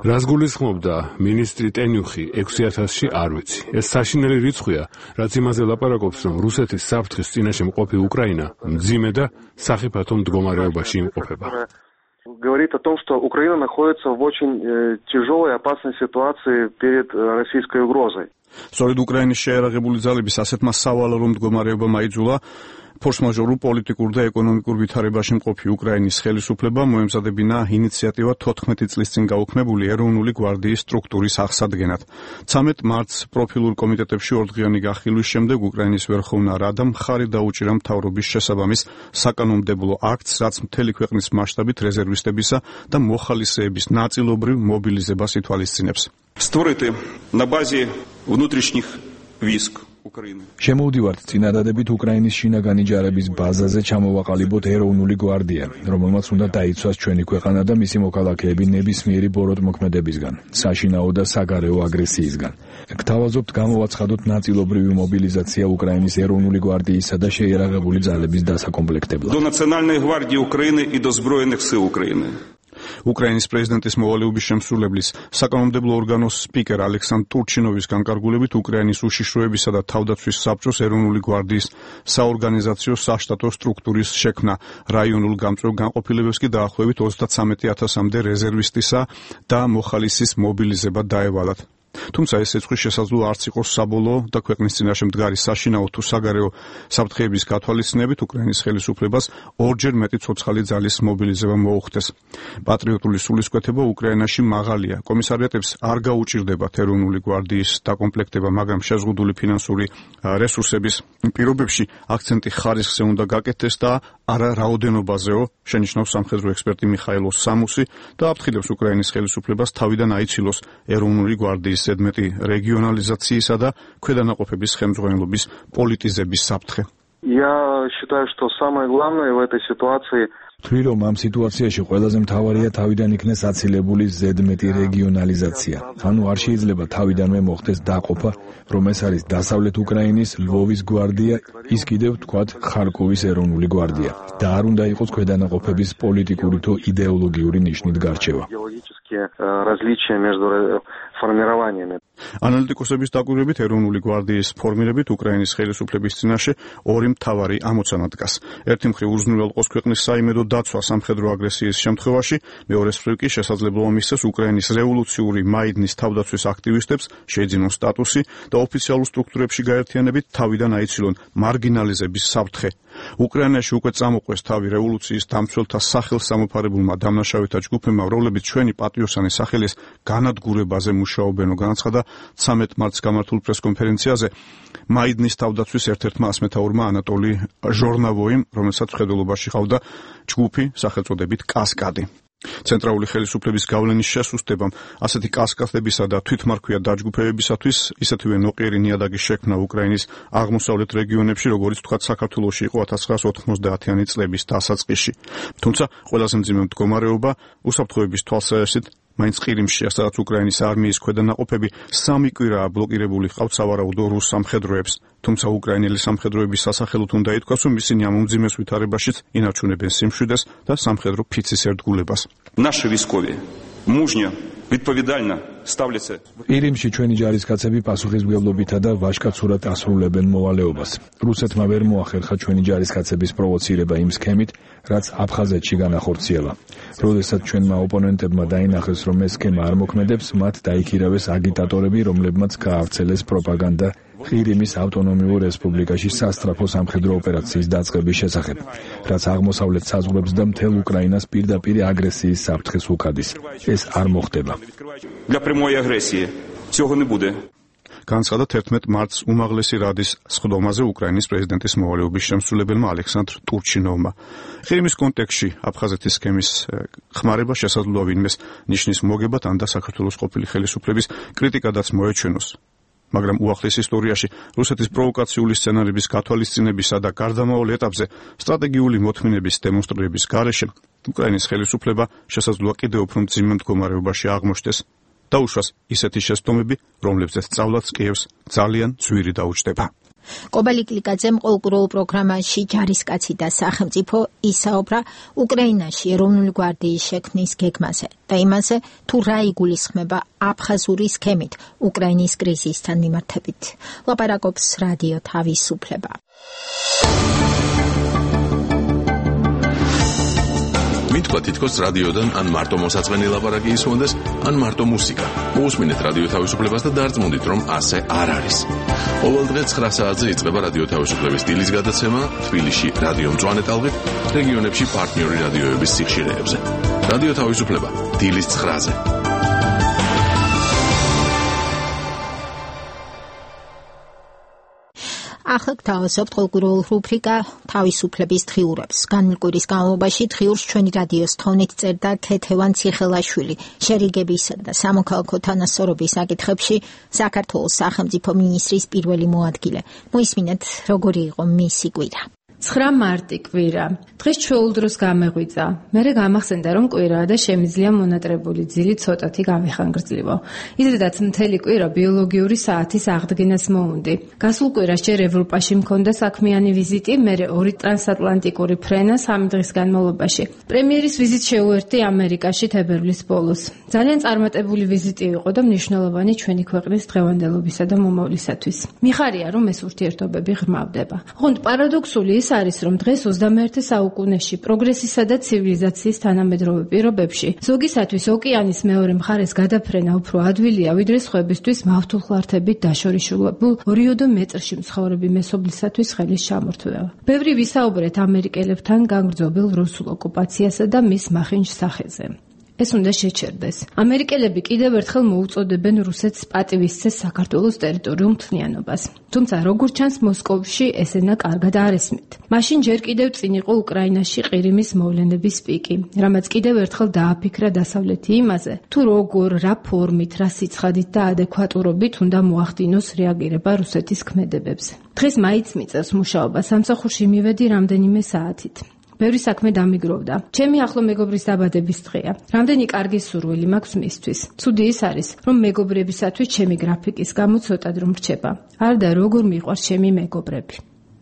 რას გულისხმობდა მინისტრი ტენიუხი 6,000-ში არ ვიცი. ეს საშინელი რიცხვია, რაც იმაზე ლაპარაკობს, რომ რუსეთის საფრთხის წინაშე მყოფი უკრაინა მძიმე და სახიფათო მდგომარეობაში იმყოფება. Говорит о том, что Украина находится в очень тяжелой, опасной ситуации перед российской угрозой. სწორედ უკრაინის შეიარაღებული ძალების ასეთმა სავალალო მდგომარეობამ აიძულა ფორს-მაჟორულ პოლიტიკურ და ეკონომიკურ ვითარებაში მყოფი უკრაინის ხელისუფლება მოემზადებინა ინიციატივა 14 წლის წინ გაუქმებული ეროვნული გვარდიის სტრუქტურის აღსადგენად. 13 მარტს პროფილურ კომიტეტებში ორდღიანი გახილვის შემდეგ უკრაინის ვერხოვნა რადამ მხარი დაუჭირა მთავრობის შესაბამის საკანონმდებლო აქტს, რაც მთელი ქვეყნის მასშტაბით რეზერვისტებისა და მოხალისეების ნაწილობრივ მობილიზებას ითვალისწინებს. Створити на базе внутрішніх військ შემოვდივართ წინადადებით უკრაინის შინაგანი ჯარების ბაზაზე ჩამოვაყალიბოთ ეროვნული გვარდია, რომელმაც უნდა დაიცვას ჩვენი ქვეყანა და მისი მოქალაქეები ნებისმიერი ბოროტმოქმედებისგან, საშინაო და საგარეო აგრესიისგან. გთავაზობთ გამოვაცხადოთ ნაწილობრივი მობილიზაცია უკრაინის ეროვნული გვარდიისა და შეიარაღებული ძალების დასაკომპლექტებლად. До Национальной гвардии Украины и до Збройных сил Украины. უკრაინის პრეზიდენტის მოვალეობის შემსრულებლის საკანონმდებლო ორგანოს სპიკერ ალექსანდრ ტურჩინოვის განკარგულებით უკრაინის უშიშროებისა და თავდაცვის საბჭოს ეროვნული გვარდიის საორგანიზაციო საშტატო სტრუქტურის შექმნა რაიონულ გამწვევ განყოფილებებს კი დაახლოებით 33,000-მდე რეზერვისტისა და მოხალისის მობილიზება დაევალათ. თუმცა ეს ეწყვის შესაძლოა არც იყოს საბოლოო და ქვეყნის წინაშე მდგარი საშინაო თუ საგარეო საფრთხეების გათვალისწინებით უკრაინის ხელისუფლებას ორჯერ მეტი ცოცხალი ძალის მობილიზება მოუხდეს. პატრიოტული სულისკვეთება უკრაინაში მაღალია. კომისარიატებს არ გაუჭირდებათ ეროვნული გვარდიის დაკომპლექტება, მაგრამ შეზღუდული ფინანსური რესურსების პირობებში აქცენტი ხარისხზე უნდა გაკეთდეს და არა რაოდენობაზეო, შენიშნავს სამხედრო ექსპერტი მიხაილ სამუსი და აფრთხილებს უკრაინის ხელისუფლებას თავიდან აიცილოს ეროვნული გვარდიის ზედმეტი რეგიონალიზაციისა და ქვედანაყოფების ხელმძღვანელობის პოლიტიზების საფრთხე. Я считаю, что самое главное в этой ситуации თვლი რომ ამ სიტუაციაში ყველაზე მთავარია თავიდან იქნეს აცილებული ზედმეტი რეგიონალიზაცია. ანუ არ შეიძლება თავიდანვე მოხდეს დაყოფა, რომ ეს არის დასავლეთ უკრაინის ლვოვის გვარდია, ის კიდევ თქვათ ხარკოვის ეროვნული გვარდია და არ უნდა იყოს ქვედანაყოფების პოლიტიკური თუ იდეოლოგიური ნიშნით გარჩევა. различия между формированиями. ანალიტიკოსების დაკვირვებით ეროვნული გვარდიის ფორმირებით უკრაინის ხელისუფლების წინაშე ორი მთავარი ამოცანა დგას. ერთი მხრივ უზრუნველყოს ქვეყნის საიმედო დაცვა სამხედრო აგრესიის შემთხვევაში, მეორეს მხრივ კი შესაძლებლობა მისცეს უკრაინის რევოლუციური მაიდნის თავდაცვის აქტივისტებს შეიძინონ სტატუსი და ოფიციალურ სტრუქტურებში გაერთიანებით თავიდან აიცილონ მარგინალიზების საფრთხე. უკრაინაში უკვე წამოყვეს თავი რევოლუციის დამცველთა სახელსამოფარებულმა დამნაშავეთა ჯგუფებმა, რომლებიც ჩვენი პატიოსანი სახელის განადგურებაზე მუშაობენ, განაცხადა 13 მარტს გამართულ პრესკონფერენციაზე მაიდნის თავდაცვის ერთ-ერთმა ასმეთაურმა ანატოლი ჟორნავოიმ, რომელსაც მხედველობაში ჰყავდა ჯგუფი სახელწოდებით კასკადი. ცენტრალური ხელისუფლების გავლენის შესუსტებამ ასეთი კასკადებისა და თვითმარქვია დაჯგუფებებისათვის ისეთივე ნოყიერი ნიადაგის შექმნა უკრაინის აღმოსავლეთ რეგიონებში, როგორც თქვათ საქართველოში იყო 1990-იანი წლების დასაწყისში. თუმცა ყველაზე მძიმე მდგომარეობა უსაფრთხოების თვალსაზრისით მაინც ყირიმში, სადაც უკრაინის არმიის ქვედანაყოფები 3 კვირაა ბლოკირებული ჰყავთ სავარაუდო რუს სამხედროებს. თუმცა უკრაინელი სამხედროების სასახელოდ უნდა ითქვას, რომ ისინი ამ უმძიმეს ვითარებაშიც ინარჩუნებენ სიმშვიდეს და სამხედრო ფიცის ერთგულებას. Наши військові мужньо, відповідально ставляться. ყირიმში ჩვენი ჯარისკაცები პასუხისმგებლობითა და ვაჟკაცურად ასრულებენ მოვალეობას. რუსეთმა ვერ მოახერხა ჩვენი ჯარისკაცების პროვოცირება იმ სქემით, რაც აფხაზეთში განახორციელა. როდესაც ჩვენმა ოპონენტებმა დაინახეს, რომ ეს სქემა არ მოქმედებს, მათ დაიქირავეს აგიტატორები, რომლებმაც გაავრცელეს პროპაგანდა ყირიმის ავტონომიურ რესპუბლიკაში სასტრაფო სამხედრო ოპერაციის დაწყების შესახებ, რაც აღმოსავლეთ საზღვრებს და მთელ უკრაინას პირდაპირ აგრესიის საფრთხეს უხადის. ეს არ მოხდება. Для прямої агресії цього не буде. განაცხადა 11 მარტს უმაღლესი რადის სხდომაზე უკრაინის პრეზიდენტის მოვალეობის შემსრულებელმა ალექსანდრ ტურჩინოვმა. ყირიმის კონტექსტში აფხაზეთის სქემის ხმარება შესაძლოა ვინმეს ნიშნის მოგებად ან და საქართველოს ყოფილი ხელისუფლების კრიტიკადაც მოეჩვენოს. მაგრამ უახლეს ისტორიაში რუსეთის პროვოკაციული სცენარების გათვალისწინებისა და გარდამავალ ეტაპზე სტრატეგიული მოთმინების დემონსტრირების გარეშე უკრაინის ხელისუფლება შესაძლოა კიდევ უფრო მძიმე მდგომარეობაში აღმოჩნდეს და უშუალოდ ისეთი შეცდომები, რომლებზეც სწავლაც კიევს ძალიან ძვირი დაუჯდება. კობალი კლიკაძემ ყოველკვირეულ პროგრამაში ჯარისკაცი და სახელმწიფო ისაუბრა უკრაინაში ეროვნული გვარდიის შექმნის გეგმაზე და იმაზე, თუ რა იგულისხმება აფხაზური სქემით უკრაინის კრიზისთან მიმართებით. ლაპარაკობს რადიო თავისუფლება. მითქვა თითქოს რადიოდან ან მარტო მოსაწყენი ლაპარაკი ისმონდეს, ან მარტო მუსიკა. მოусმინეთ რადიო თავისუფლებას და დარწმუნდით, რომ ასე არ არის. ყოველ დღე 9 საათზე იწყება რადიო თავისუფლების დილის გადაცემა თბილისში რადიო მწვანე ტალღით, რეგიონებში პარტნიორი რადიოების სიხშირეებზე. რადიო თავისუფლება დილის 9-ზე. ახლა გთავაზობთ ყოველკვირეულ რუბრიკა თავისუფლების დღიურებს. განმავლი კვირის განმავლობაში დღიურს ჩვენი რადიოს თხოვნით წერდა ქეთევან ციხელაშვილი, შერიგებისა და სამოქალაქო თანასწორობის საკითხებში საქართველოს სახელმწიფო მინისტრის პირველი მოადგილე. მოისმინეთ, როგორი იყო მისი კვირა. 9 მარტი კვირა. დღეს ჩვეულ დროს გამეღვიძა. მერე გამახსენდა, რომ კვირაა და შემიძლია მონატრებული ძილი ცოტათი გამეხანგრძლიო. იზრდაც მთელი კვირა ბიოლოგიური საათის აღდგენას მოუნდი. გასულ კვირას ჯერ ევროპაში მქონდა საქმიანი ვიზიტი, მერე 2 ტრანსატლანტიკური ფრენა 3 დღის განმავლობაში. პრემიერის ვიზიტ შეუერთდი ამერიკაში თებერვლის ბოლოს. ძალიან წარმატებული ვიზიტი იყო და მნიშვნელოვანი ჩვენი ქვეყნის დღევანდელობისა და მომავლისათვის. მიხარია, რომ ეს ურთიერთობები ღრმავდება. ოღონდ პარადოქსული ის არის, რომ დღეს 21 საუკუნეში პროგრესისა და ცივილიზაციის თანამედროვე პირობებში ზოგისათვის ოკეანის მეორე მხარეს გადაფრენა უფრო ადვილია, ვიდრე სხვებისთვის მავთულხლართებით დაშორიშულებულ 2 მეტრში მცხოვრები მესობლისათვის ხელის ჩამორთმევა. ბევრი ვისაუბრეთ ამერიკელებთან განგრძობილ რუსულ ოკუპაციასა და მის მახინჯ სახეზე. ეს უნდა შეჩერდეს. ამერიკელები კიდევ ერთხელ მოუწოდებენ რუსეთს პატივისცეს საქართველოს ტერიტორიულ მთლიანობას. თუმცა როგორც ჩანს, მოსკოვში ესენა კარგად არ ესმით. მაშინ ჯერ კიდევ წინ იყო უკრაინაში ყირიმის მოვლენების პიკი, რამაც კიდევ ერთხელ დააფიქრა დასავლეთი იმაზე, თუ როგორ, რა ფორმით, რა სიცხადით და ადეკვატურობით უნდა მოახდინოს რეაგირება რუსეთის ქმედებებზე. დღეს მაიც მიწევს მუშაობა, სამსახურში მივედი რამდენიმე საათით. ბევრი საქმე დამიგროვდა. ჩემი ახლო მეგობრის დაბადების დღეა. რამდენი კარგი სურვილი მაქვს მისთვის. ცუდი ის არის, რომ მეგობრებისათვის ჩემი გრაფიკის გამო ცოტა დრო მრჩება. არ და როგორ მიყვარს ჩემი მეგობრები.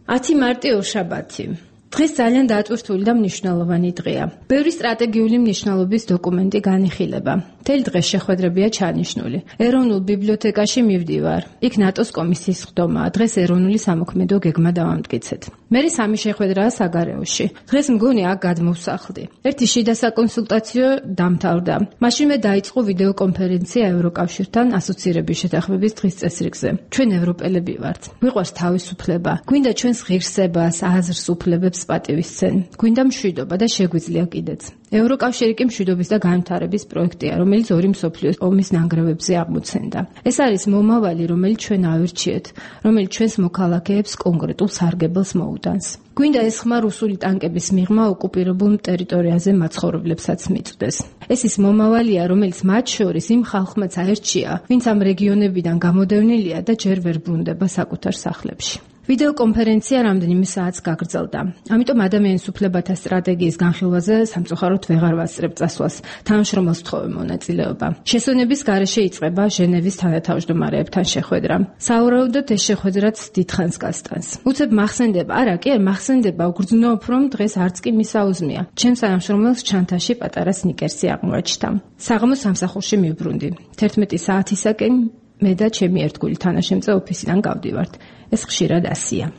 10 მარტი ორშაბათი. დღეს ძალიან დატვირთული და მნიშვნელოვანი დღეა. ბევრი სტრატეგიული მნიშვნელობის დოკუმენტი განიხილება. მთელი დღე შეხვედრებია ჩანიშნული. ეროვნულ ბიბლიოთეკაში მივდივარ. იქ ნატოს კომისიის ხდომაა. დღეს ეროვნული სამოქმედო გეგმა დავამტკიცეთ. მერე 3 შეხვედრაა საგარეოში. დღეს მგონი აქ გადმოვსახლდი. ერთი შიდა საკონსულტაციო დამთავრდა. მაშინვე დაიწყო ვიდეო კონფერენცია ევროკავშირთან ასოცირების შეთანხმების დღის წესრიგზე. ჩვენ ევროპელები ვართ. გვიყვარს თავისუფლება. გვინდა ჩვენს ღირსებას, აზრს, უფლებებს პატივისცენ. გვინდა მშვიდობა და შეგვიძლია კიდეც. ევროკავშირი კი მშვიდობის და განვითარების პროექტია, რომელიც 2 მსოფლიოს ომის ნანგრევებზე აღმოცენდა. ეს არის მომავალი, რომელიც ჩვენ ავირჩიეთ, რომელიც ჩვენს მოქალაქეებს კონკრეტულ სარგებელს მოუტანს. გვინდა ეს ხმა რუსული ტანკების მიღმა ოკუპირებულ ტერიტორიაზე მაცხოვრებლებსაც მიწვდეს. ეს ის მომავალია, რომელიც მათ შორის იმ ხალხმაც აერჩია, ვინც ამ რეგიონებიდან გამოდევნილია და ჯერ ვერ ბრუნდება საკუთარ სახლებში. ვიდეო კონფერენცია რამდენიმე საათს გაგრძელდა. ამიტომ ადამიანის უფლებათა სტრატეგიის განხილვაზე სამწუხაროდ ვეღარ ვასწრებ წასვლას. თანამშრომელს ვთხოვე მონაწილეობა. შესვენების გარეშე იწყება ჟენევის თანათავმჯდომარეებთან შეხვედრა. სავარაუდოდ ეს შეხვედრაც დიდხანს გასტანს. უცებ მახსენდება, არა კი არ მახსენდება, უგრძნობ, რომ დღეს არც კი მისაუზმია. ჩემ თანამშრომელს ჩანთაში პატარა სნიკერსი აღმოაჩნდა. საღამოს სამსახურში მივბრუნდი. 11 საათისაკენ მე და ჩემი ერთგული თანაშემწე ოფისიდან გავდივართ. ეს ხშირად ასია.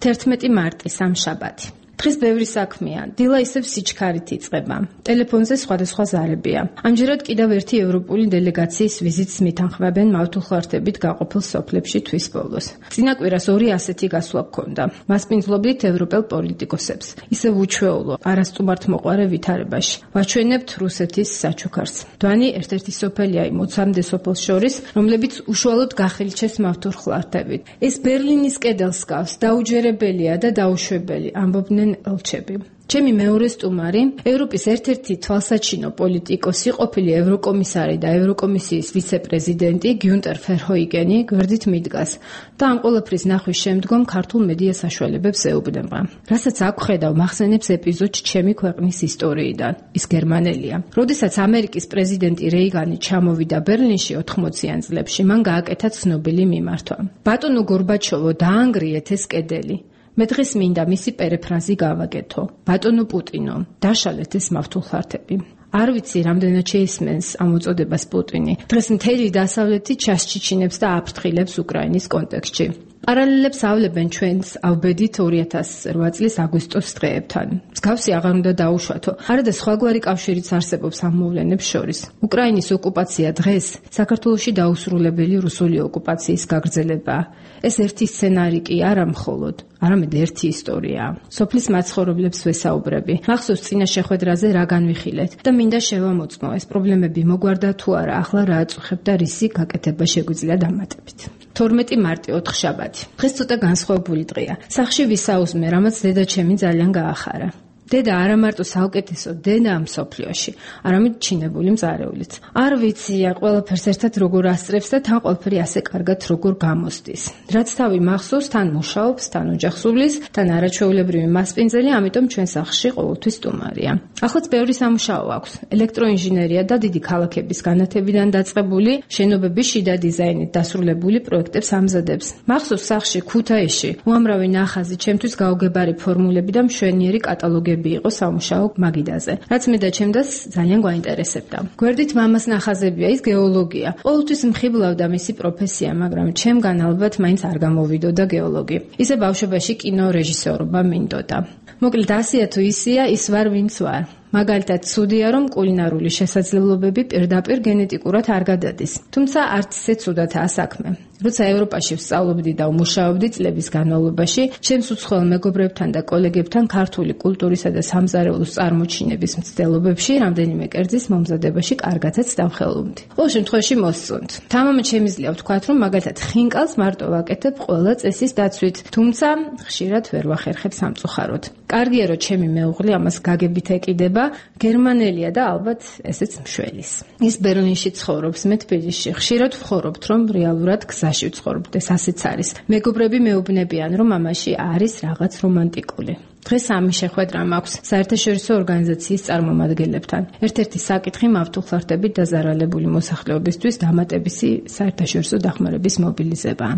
11 მარტი სამშაბათი. დღეს ბევრი საქმეა. დილა ისევ სიჩქარით იწყება. ტელეფონზე სხვადასხვა ზარებია. ამჯერად კიდევ ერთი ევროპული დელეგაციის ვიზიტს მითანხმებენ მავთულხლართებით გაყოფილ სოფლებში თვის ბოლოს. წინა კვირას 2 ასეთი გასვლა გქონდა. მასპინძლობდით ევროპელ პოლიტიკოსებს. ისევ უჩვეულო, არასტუმართ მოყარე ვითარებაში. ვაჩვენებთ რუსეთის საჩუქარს. დვანი ერთ-ერთი სოფელია იმ 20-მდე სოფელს შორის, რომლებიც უშუალოდ გახილჩეს მავთულხლართებით. ეს ბერლინის კედელს გავს, დაუჯერებელია და დაუშვებელი, ამბობდნენ ელჩები. ჩემი მეორე სტუმარი, ევროპის ერთ-ერთი თვალსაჩინო პოლიტიკოსი, ყოფილი ევროკომისარი და ევროკომისიის ვიცე-პრეზიდენტი გიუნტერ ფერჰოიგენი გვერდით მიდგას და ამ ყველაფრის ნახვის შემდგომ ქართულ მედია საშუალებებს ეუბნება. რასაც აქ ხედავ, მახსენებს ეპიზოდს ჩემი ქვეყნის ისტორიიდან. ის გერმანელია. როდესაც ამერიკის პრეზიდენტი რეიგანი ჩამოვიდა ბერლინში 80-იან წლებში, მან გააკეთა ცნობილი მიმართვა. ბატონო გორბაჩოვო, დაანგრიეთ ეს კედელი. მე დღეს მინდა მისი პერეფრაზი გავაკეთო. ბატონო პუტინო, დაშალეთ ეს მავთულხლართები. არ ვიცი, რამდენად შეისმენს ამ უწოდებას პუტინი. დღეს მთელი დასავლეთი ჩასჩიჩინებს და აფრთხილებს უკრაინის კონტექსტში. პარალელებს ავლებენ ჩვენს ავბედით 2008 წლის აგვისტოს დღეებთან. მსგავსი აღარ უნდა დაუშვათო. არადა სხვაგვარი კავშირიც არსებობს ამ მოვლენებს შორის. უკრაინის ოკუპაცია დღეს საქართველოში დაუსრულებელი რუსული ოკუპაციის გაგრძელებაა. ეს ერთი სცენარი კი არა მხოლოდ, არამედ ერთი ისტორიაა. სოფლის მაცხოვრებლებს ვესაუბრები. მახსოვს წინა შეხვედრაზე რა განვიხილეთ და მინდა შევამოწმო, ეს პრობლემები მოგვარდა თუ არა, ახლა რა აწუხებ და რისი გაკეთება შეგვიძლია დამატებით. 12 მარტი 4 შაბათი. დღეს ცოტა განსხვავებული დღეა. სახში ვისაუზმე, რამაც დედაჩემი ძალიან გაახარა. დედა არა მარტო საუკეთესო დედა ამ სოფლიოში, არამედ ჩინებული მზარეულიც. არ ვიცია ყველაფერს ერთად როგორ ასწრებს და თან ყველაფერი ასე კარგად როგორ გამოსდის. რაც თავი მახსოვს, თან მუშაობს, თან ოჯახს უვლის, თან არაჩვეულებრივი მასპინძელი, ამიტომ ჩვენ სახლში ყოველთვის სტუმარია. ახლაც ბევრი სამუშაო აქვს. ელექტროინჟინერია და დიდი ქალაქების განათებიდან დაწყებული, შენობების შიდა დიზაინით დასრულებული პროექტებს ამზადებს. მახსოვს სახლში ქუთაისში უამრავი ნახაზი, ჩემთვის გაუგებარი ფორმულები და მშვენიერი კატალოგები იყო სამუშაო მაგიდაზე, რაც მე და ჩემს ძალიან გვაინტერესებდა. გვერდით მამას ნახაზებია, ის გეოლოგია. ყოველთვის მხიბლავდა მისი პროფესია, მაგრამ ჩემგან ალბათ მაინც არ გამოვიდოდა გეოლოგი. ისე ბავშვობაში კინო რეჟისორობა მინდოდა. მოკლედ ასია თუ ისია, ის ვარ ვინც ვარ. მაგალითად, ცუდია რომ კულინარული შესაძლებლობები პირდაპირ გენეტიკურად არ გადადის. თუმცა არც ისე ცუდათაა საქმე. როცა ევროპაში ვსწავლობდი და ვმუშაობდი წლების განმავლობაში, ჩემს უცხოელ მეგობრებთან და კოლეგებთან ქართული კულტურისა და სამზარეულოს წარმოჩინების მცდელობებში რამდენიმე კერძის მომზადებაში კარგათაც დავხელვումდი. ყოველ შემთხვევაში მოსწონთ. თამამად შემიძლია ვთქვათ, რომ მაგალითად ხინკალს მარტო ვაკეთებ ყველა წესის დაცვით, თუმცა ხშირად ვერ ვახერხებ სამწუხაროდ. კარგია რომ ჩემი მეუღლე ამას გაგებით ეკიდება, გერმანელია და ალბათ ესეც მშველის. ის ბერლინში ცხოვრობს, მე თბილისში. ხშირად ვხორობთ, რომ რეალურად გზაში ვცხოვრობთ, ეს ასეც არის. მეგობრები მეუბნებიან, რომ ამაში არის რაღაც რომანტიკული. დღეს ამის შეხვედრა მაქვს საერთაშორისო ორგანიზაციის წარმომადგენლებთან. ერთ-ერთი საკითხი მავთულხლართებით დაზარალებული მოსახლეობისთვის დამატებისი საერთაშორისო დახმარების მობილიზებაა.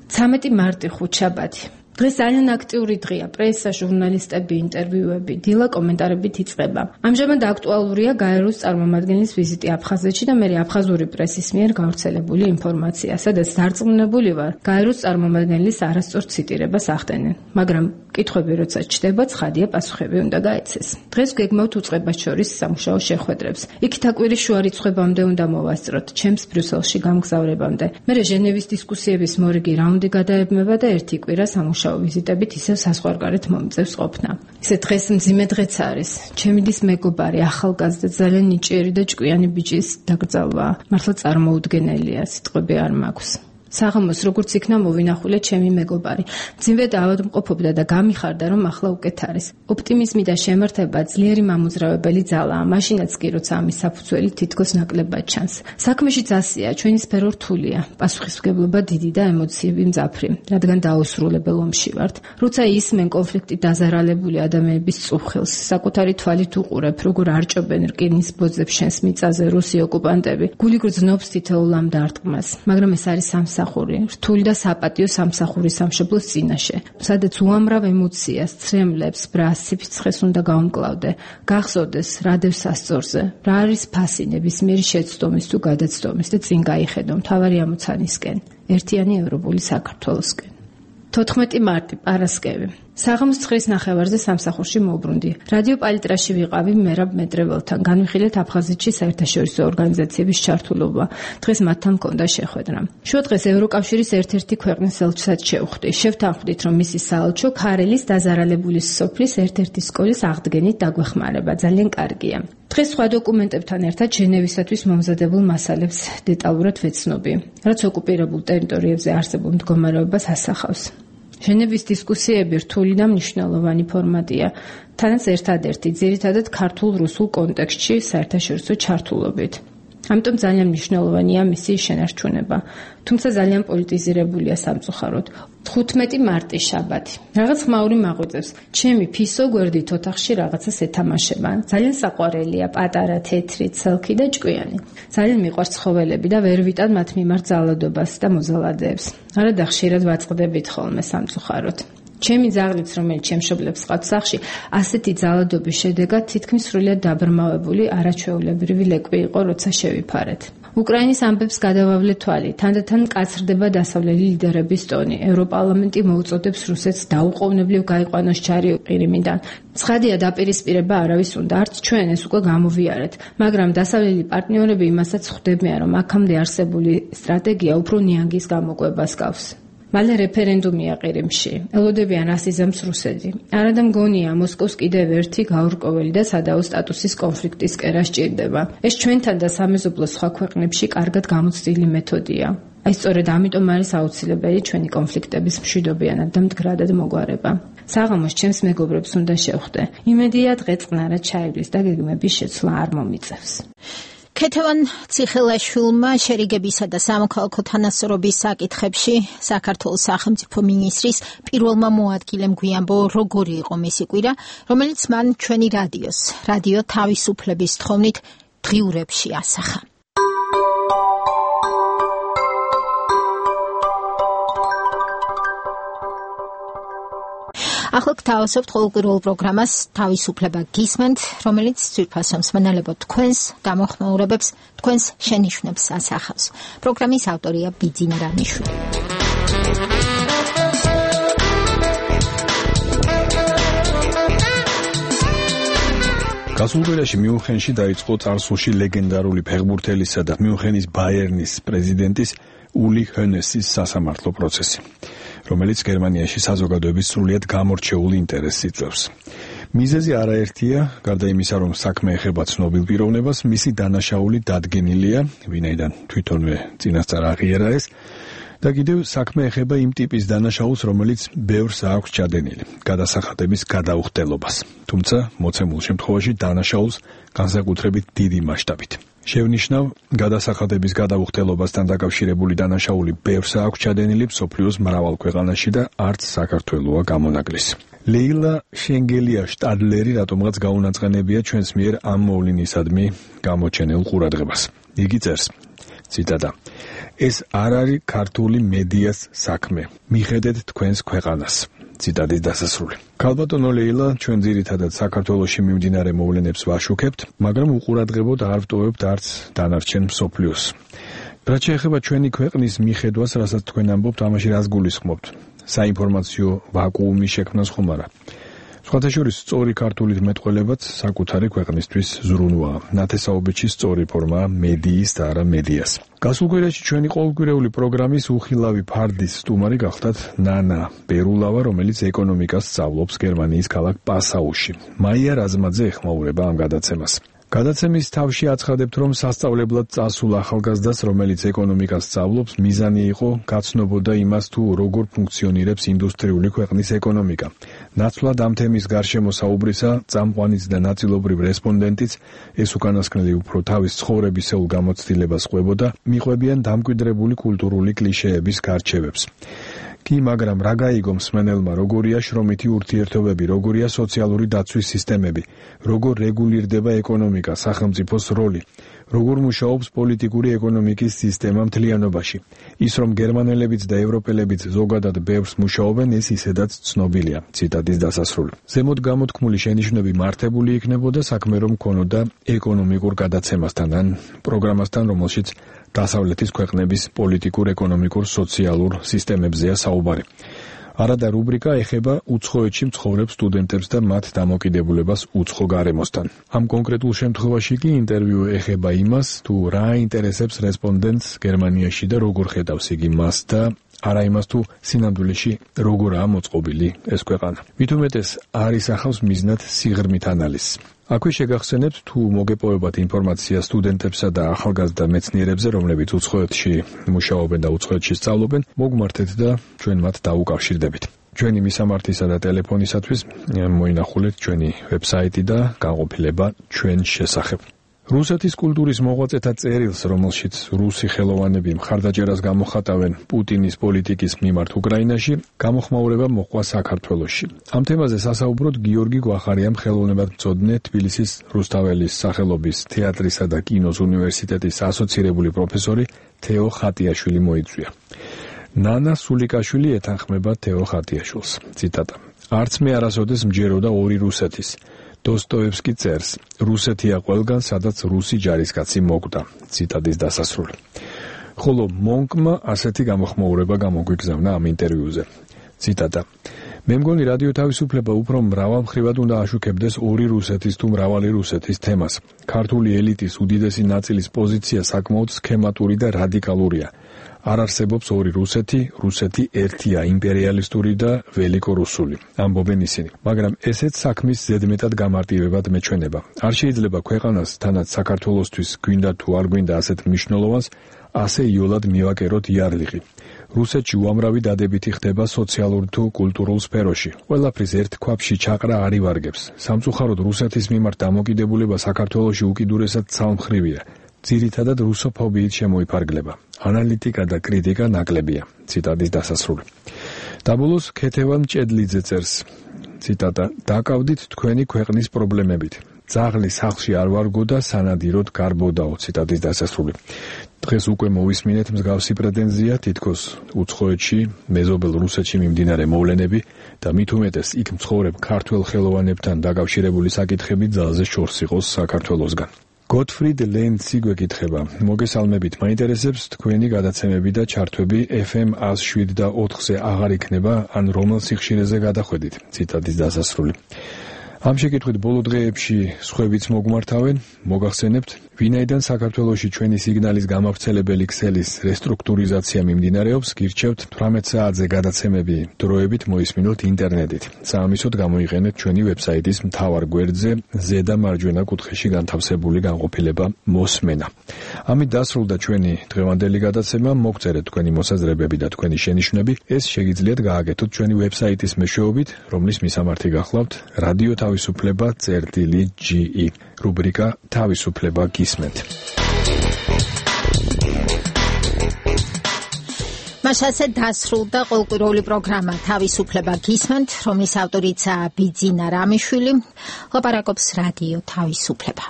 13 მარტი 5 შაბათი. დღეს ძალიან აქტიური დღეა, პრესა, ჟურნალისტები, ინტერვიუები, დილა კომენტარებით იწყება. ამჟამად აქტუალურია გაეროს წარმომადგენლის ვიზიტი აფხაზეთში და მე აფხაზური პრესის მიერ გავრცელებული ინფორმაცია, სადაც დარწმუნებული ვარ, გაეროს წარმომადგენლის არასწორ ციტირებას ახდენენ. მაგრამ კითხვები როცა ჩდება, ცხადია პასუხები უნდა გაეცეს. დღეს გეგმავთ უწყებას შორის სამუშაო შეხვედრებს. იქით აკვირის შუა რიცხვებამდე უნდა მოვასწროთ, ჩემს ბრიუსელში გამგზავრებამდე. მერე ჟენევის დისკუსიების მორიგი რაუნდი გადაებმება და ერთი კვირა სამუშაო ვიზიტებით ისევ საზღვარგარეთ მომწევს ყოფნა. ისე დღეს მძიმე დღეც არის. ჩემი დის მეგობარი, ახალგაზრდა, ძალიან ნიჭიერი და ჭკვიანი ბიჭის დაკრძალვა. მართლა წარმოუდგენელია, სიტყვები არ მაქვს. საღამოს როგორც იქნა მოვინახულე ჩემი მეგობარი. მძიმე დაავადმყოფობდა და გამიხარდა რომ ახლა უკეთ არის. ოპტიმიზმი და შემართება ძლიერი მამოძრავებელი ძალაა, მაშინაც კი როცა ამის საფუძველი თითქოს ნაკლებად ჩანს. საქმეშიც ასეა, ჩვენი სფერო რთულია, პასუხისმგებლობა დიდი და ემოციები მძაფრი, რადგან დაუსრულებელ ომში ვართ. როცა ისმენ კონფლიქტი დაზარალებული ადამიანების წუხილს, საკუთარი თვალით უყურებ, როგორ არჭობენ რკინის ბოძებს შენს მიწაზე რუსი ოკუპანტები, გული გრძნობს თითოეულ ამ დარტყმას, მაგრამ ეს არის რთული და საპატიო სამსახური სამშობლოს წინაშე, სადაც უამრავ ემოციას, ცრემლებს, ბრას, სიფიცხეს უნდა გაუმკლავდე, გახსოვდეს რა დევს სასწორზე, რა არის ფასი ნებისმიერი შეცდომის თუ გადაცდომის და წინ გაიხედო მთავარი ამოცანისკენ, ერთიანი ევროპული საქართველოსკენ. 14 მარტი პარასკევი. საღამოს 9:30-ზე სამსახურში მოვბრუნდი. რადიო პალიტრაში ვიყავი მერაბ მეტრეველთან. განვიხილეთ აფხაზეთში საერთაშორისო ორგანიზაციების ჩართულობა. დღეს მათთან მქონდა შეხვედრა. შუადღეს ევროკავშირის ერთ-ერთი ქვეყნის ელჩსაც შევხვდი. შევთანხმდით, რომ მისი საელჩო ქარელის დაზარალებული სოფლის ერთ-ერთი სკოლის აღდგენით დაგვეხმარება. ძალიან კარგია. დღეს სხვა დოკუმენტებთან ერთად ჟენევისათვის მომზადებულ მასალებს დეტალურად ვეცნობი, რაც ოკუპირებულ ტერიტორიებზე არსებულ მდგომარეობას ასახავს. ჟენევის დისკუსიები რთული და მნიშვნელოვანი ფორმატია, თანაც ერთადერთი, ძირითადად ქართულ-რუსულ კონტექსტში საერთაშორისო ჩართულობით. ამიტომ ძალიან მნიშვნელოვანია მისი შენარჩუნება, თუმცა ძალიან პოლიტიზირებულია სამწუხაროდ. 15 მარტი შაბათი. რაღაც ხმაური მაღვიძებს. ჩემი ფისო გვერდით ოთახში რაღაცას ეთამაშება. ძალიან საყვარელია, პატარა, თეთრი, ცელქი და ჭკვიანი. ძალიან მიყვარს ცხოველები და ვერ ვიტან მათ მიმართ ძალადობას და მოზალადეებს. არადა ხშირად ვაწყდებით ხოლმე სამწუხაროდ. ჩემი ძაღლიც, რომელიც ჩემშობლებს ყავთ სახლში, ასეთი ძალადობის შედეგად თითქმის სრულიად დაბრმავებული არაჩვეულებრივი ლეკვი იყო, როცა შევიფარეთ. უკრაინის ამბებს გადავავლე თვალი, თანდათან მკაცრდება დასავლელი ლიდერების ტონი. ევროპარლამენტი მოუწოდებს რუსეთს დაუყოვნებლივ გაიყვანოს ჯარი ყირიმიდან. ცხადია, დაპირისპირება არავის უნდა, არც ჩვენ ეს უკვე გამოვიარეთ, მაგრამ დასავლელი პარტნიორები იმასაც ხვდებიან, რომ აქამდე არსებული სტრატეგია უფრო ნიანგის გამოკვებას გავს. მალე რეფერენდუმია ყირიმში. ელოდებიან ასიზამს რუსეთი. არადა მგონია, მოსკოვს კიდევ ერთი გაურკვეველი და სადაო სტატუსის კონფლიქტის კერა სჭირდება. ეს ჩვენთან და სამეზობლოს სხვა ქვეყნებში კარგად გამოცდილი მეთოდია. აი სწორედ ამიტომ არის აუცილებელი ჩვენი კონფლიქტების მშვიდობიანად და მდგრადად მოგვარება. საღამოს ჩემს მეგობრებს უნდა შევხვდე. იმედია დღე-წყნარად ჩაივლის და გეგმების შეცვლა არ მომიწევს. ქეთევან ციხელაშვილმა შერიგებისა და სამოქალაქო თანასწორობის საკითხებში საქართველოს სახელმწიფო მინისტრის პირველმა მოადგილემ გვიანბო როგორი იყო მისი კვირა, რომელიც მან ჩვენი რადიო თავისუფლების თხოვნით დღიურებში ასახა. ახლა გთავაზობთ ყოველკვირეულ პროგრამას თავისუფლება გისმენთ, რომელიც ძვირფასო მსმენელებო თქვენს გამოხმაურებებს, თქვენს შენიშვნებს ასახავს. პროგრამის ავტორია ბიძინა რანიშვილი. გასულ კვირაში მიუნხენში დაიწყო წარსულში ლეგენდარული ფეხბურთელისა და მიუნხენის ბაიერნის პრეზიდენტის ული ჰონესის სასამართლო პროცესი, რომელიც გერმანიაში საზოგადოების სრულიად გამორჩეული ინტერესს იწვევს. მიზეზი არაერთია, გარდა იმისა, რომ საქმე ეხება ცნობილ პიროვნებას, მისი დანაშაული დადგენილია, ვინაიდან თვითონვე წინასწარ აღიარა ეს, და კიდევ საქმე ეხება იმ ტიპის დანაშაულს, რომელიც ბევრს აქვს ჩადენილი, გადასახადების გადაუხდელობას, თუმცა მოცემულ შემთხვევაში დანაშაულს განსაკუთრებით დიდი მასშტაბით. შევნიშნავ, გადასახადების გადაუხდელობასთან დაკავშირებული დანაშაული ბევრს აქვს ჩადენილი მსოფლიოს მრავალ ქვეყანაში და არც საქართველოა გამონაკლისი. ლეილა შენგელია შტადლერი რატომღაც გაუნაწყენებია ჩვენს მიერ ამ მოვლენისადმი გამოჩენილ ყურადღებას. იგი წერს, ციტატა: ეს არ არის ქართული მედიას საქმე. მიხედეთ თქვენს ქვეყანას. ციტატის დასასრული. ქალბატონო ლეილა, ჩვენ ძირითადად საქართველოში მიმდინარე მოვლენებს ვაშუქებთ, მაგრამ უყურადღებოდ არ ვტოვებთ არც დანარჩენ მსოფლიოს. რაც შეეხება ჩვენი ქვეყნის მიხედვას, რასაც თქვენ ამბობთ, ამაში რას გულისხმობთ? საინფორმაციო ვაკუუმის შექმნას ხომ არა? სხვათა შორის სწორი ქართულით მეტყველებაც საკუთარი ქვეყნისთვის ზრუნვაა. ნათესაობითში სწორი ფორმაა მედიის და არა მედიას. გასულ კვირაში ჩვენი ყოველკვირეული პროგრამის უხილავი ფარდის სტუმარი გახდათ ნანა ბერულავა, რომელიც ეკონომიკას სწავლობს გერმანიის ქალაქ პასაუში. მაია რაზმაძე ეხმაურება ამ გადაცემას. გადაცემის თავში აცხადებთ, რომ სასწავლებლად წასულ ახალგაზრდას, რომელიც ეკონომიკას სწავლობს, მიზანი იყო გაცნობოდა იმას, თუ როგორ ფუნქციონირებს ინდუსტრიული ქვეყნის ეკონომიკა. ნაცვლად ამ თემის გარშემო საუბრისა, წამყვანიც და ნაწილობრივ რესპონდენტიც ეს უკანასკნელი უფრო თავის ცხოვრებისეულ გამოცდილებას ყვებოდა, მიყვებიან დამკვიდრებული კულტურული კლიშეების გარჩევებს. კი, მაგრამ რა გაიგო მსმენელმა, როგორია შრომითი ურთიერთობები, როგორია სოციალური დაცვის სისტემები, როგორ რეგულირდება ეკონომიკა, სახელმწიფოს როლი, როგორ მუშაობს პოლიტიკური ეკონომიკის სისტემა მთლიანობაში. ის, რომ გერმანელებიც და ევროპელებიც ზოგადად ბევრს მუშაობენ, ეს ისედაც ცნობილია. ციტატის დასასრული. ზემოთ გამოთქმული შენიშვნები მართებული იქნებოდა საქმე რომ ქონოდა ეკონომიკურ გადაცემასთან ან პროგრამასთან, რომელშიც დასავლეთის ქვეყნების პოლიტიკურ, ეკონომიკურ, სოციალურ სისტემებზეა საუბარი. არადა რუბრიკა ეხება უცხოეთში მცხოვრებ სტუდენტებს და მათ დამოკიდებულებას უცხო გარემოსთან. ამ კონკრეტულ შემთხვევაში კი ინტერვიუ ეხება იმას, თუ რა ინტერესებს რესპონდენტს გერმანიაში და როგორ ხედავს იგი მას და არა იმას, თუ სინამდვილეში როგორაა მოწყობილი ეს ქვეყანა. მით უმეტეს არ ისახავს მიზნად სიღრმით ანალიზს. აქვე შეგახსენებთ, თუ მოგეპოვებათ ინფორმაცია სტუდენტებსა და ახალგაზრდა მეცნიერებზე, რომლებიც უცხოეთში მუშაობენ და უცხოეთში სწავლობენ, მოგმართეთ და ჩვენ მათ დაუკავშირდებით. ჩვენი მისამართისა და ტელეფონისათვის მოინახულეთ ჩვენი ვებსაიტი და განყოფილება ჩვენ შესახებ. რუსეთის კულტურის მოღვაწეთა წერილს, რომელშიც რუსი ხელოვანები მხარდაჭერას გამოხატავენ პუტინის პოლიტიკის მიმართ უკრაინაში, გამოხმაურება მოჰყვა საქართველოში. ამ თემაზე სასაუბროდ გიორგი გვახარიამ ხელოვნებათმცოდნე თბილისის რუსთაველის სახელობის თეატრისა და კინოს უნივერსიტეტის ასოცირებული პროფესორი თეო ხატიაშვილი მოიწვია. ნანა სულიკაშვილი ეთანხმება თეო ხატიაშვილს. ციტატა: არც მე არასოდეს მჯეროდა ორი რუსეთის. დოსტოევსკი წერს, რუსეთია ყველგან, სადაც რუსი ჯარისკაცი მოკვდა. ციტატის დასასრული. ხოლო მონკმა ასეთი გამოხმაურება გამოგვიგზავნა ამ ინტერვიუზე. ციტატა: მე მგონი რადიო თავისუფლება უფრო მრავალმხრივად უნდა აშუქებდეს ორი რუსეთის თუ მრავალი რუსეთის თემას. ქართული ელიტის უდიდესი ნაწილის პოზიცია საკმაოდ სქემატური და რადიკალურია. არ არსებობს ორი რუსეთი, რუსეთი ერთია, იმპერიალისტური და ველიკორუსული, ამბობენ ისინი. მაგრამ ესეც საქმის ზედმეტად გამარტივებად მეჩვენება. არ შეიძლება ქვეყანას, თანაც საქართველოსთვის გვინდა თუ არ გვინდა ასეთ მნიშვნელოვანს, ასე იოლად მივაკეროთ იარლიყი. რუსეთში უამრავი დადებითი ხდება სოციალურ თუ კულტურულ სფეროში. ყველაფრის ერთ ქვაბში ჩაყრა არ ივარგებს. სამწუხაროდ რუსეთის მიმართ დამოკიდებულება საქართველოში უკიდურესად ცალმხრივია. ძირითადად რუსოფობიით შემოიფარგლება. ანალიტიკა და კრიტიკა ნაკლებია. ციტატის დასასრული. დაბოლოს ქეთევან მჭედლიძე წერს. ციტატა: დაკავდით თქვენი ქვეყნის პრობლემებით. ძაღლი სახლში არ ვარგო და სანადიროდ გარბოდაო. ციტატის დასასრული. დღეს უკვე მოვისმინეთ მსგავსი პრეტენზია თითქოს უცხოეთში, მეზობელ რუსეთში მიმდინარე მოვლენები და მით უმეტეს იქ მცხოვრებ ქართველ ხელოვანებთან დაკავშირებული საკითხები ძალზე შორს იყოს საქართველოსგან. გოტფრიდ ლენცი გვეკითხება: მოგესალმებით, მაინტერესებს თქვენი გადაცემები და ჩართვები FM 107.4-ზე აღარ იქნება, ან რომელ სიხშირეზე გადახვედით? ციტატის დასასრული. ამ შეკითხვით ბოლო დღეებში სხვებიც მოგმართავენ, მოგახსენებთ, ვინაიდან საქართველოში ჩვენი სიგნალის გამავრცელებელი ქსელის რესტრუქტურიზაცია მიმდინარეობს, გირჩევთ 18 საათზე გადაცემები დროებით მოისმინოთ ინტერნეტით. საამისოდ გამოიყენეთ ჩვენი ვებსაიტის მთავარ გვერდზე ზედა მარჯვენა კუთხეში განთავსებული განყოფილება მოსმენა. ამით დასრულდა ჩვენი დღევანდელი გადაცემა. მოგწერეთ თქვენი მოსაზრებები და თქვენი შენიშვნები. ეს შეგიძლიათ გააკეთოთ ჩვენი ვებსაიტის მეშვეობით, რომლის მისამართი გახლავთ რადიო თავისუფლება.ge რუბრიკა თავისუფლება გისმენთ. მასაზე დასრულდა ყოველკვირეული პროგრამა თავისუფლება გისმენთ, რომლის ავტორიცაა ბიძინა რამიშვილი. ლაპარაკობს რადიო თავისუფლება.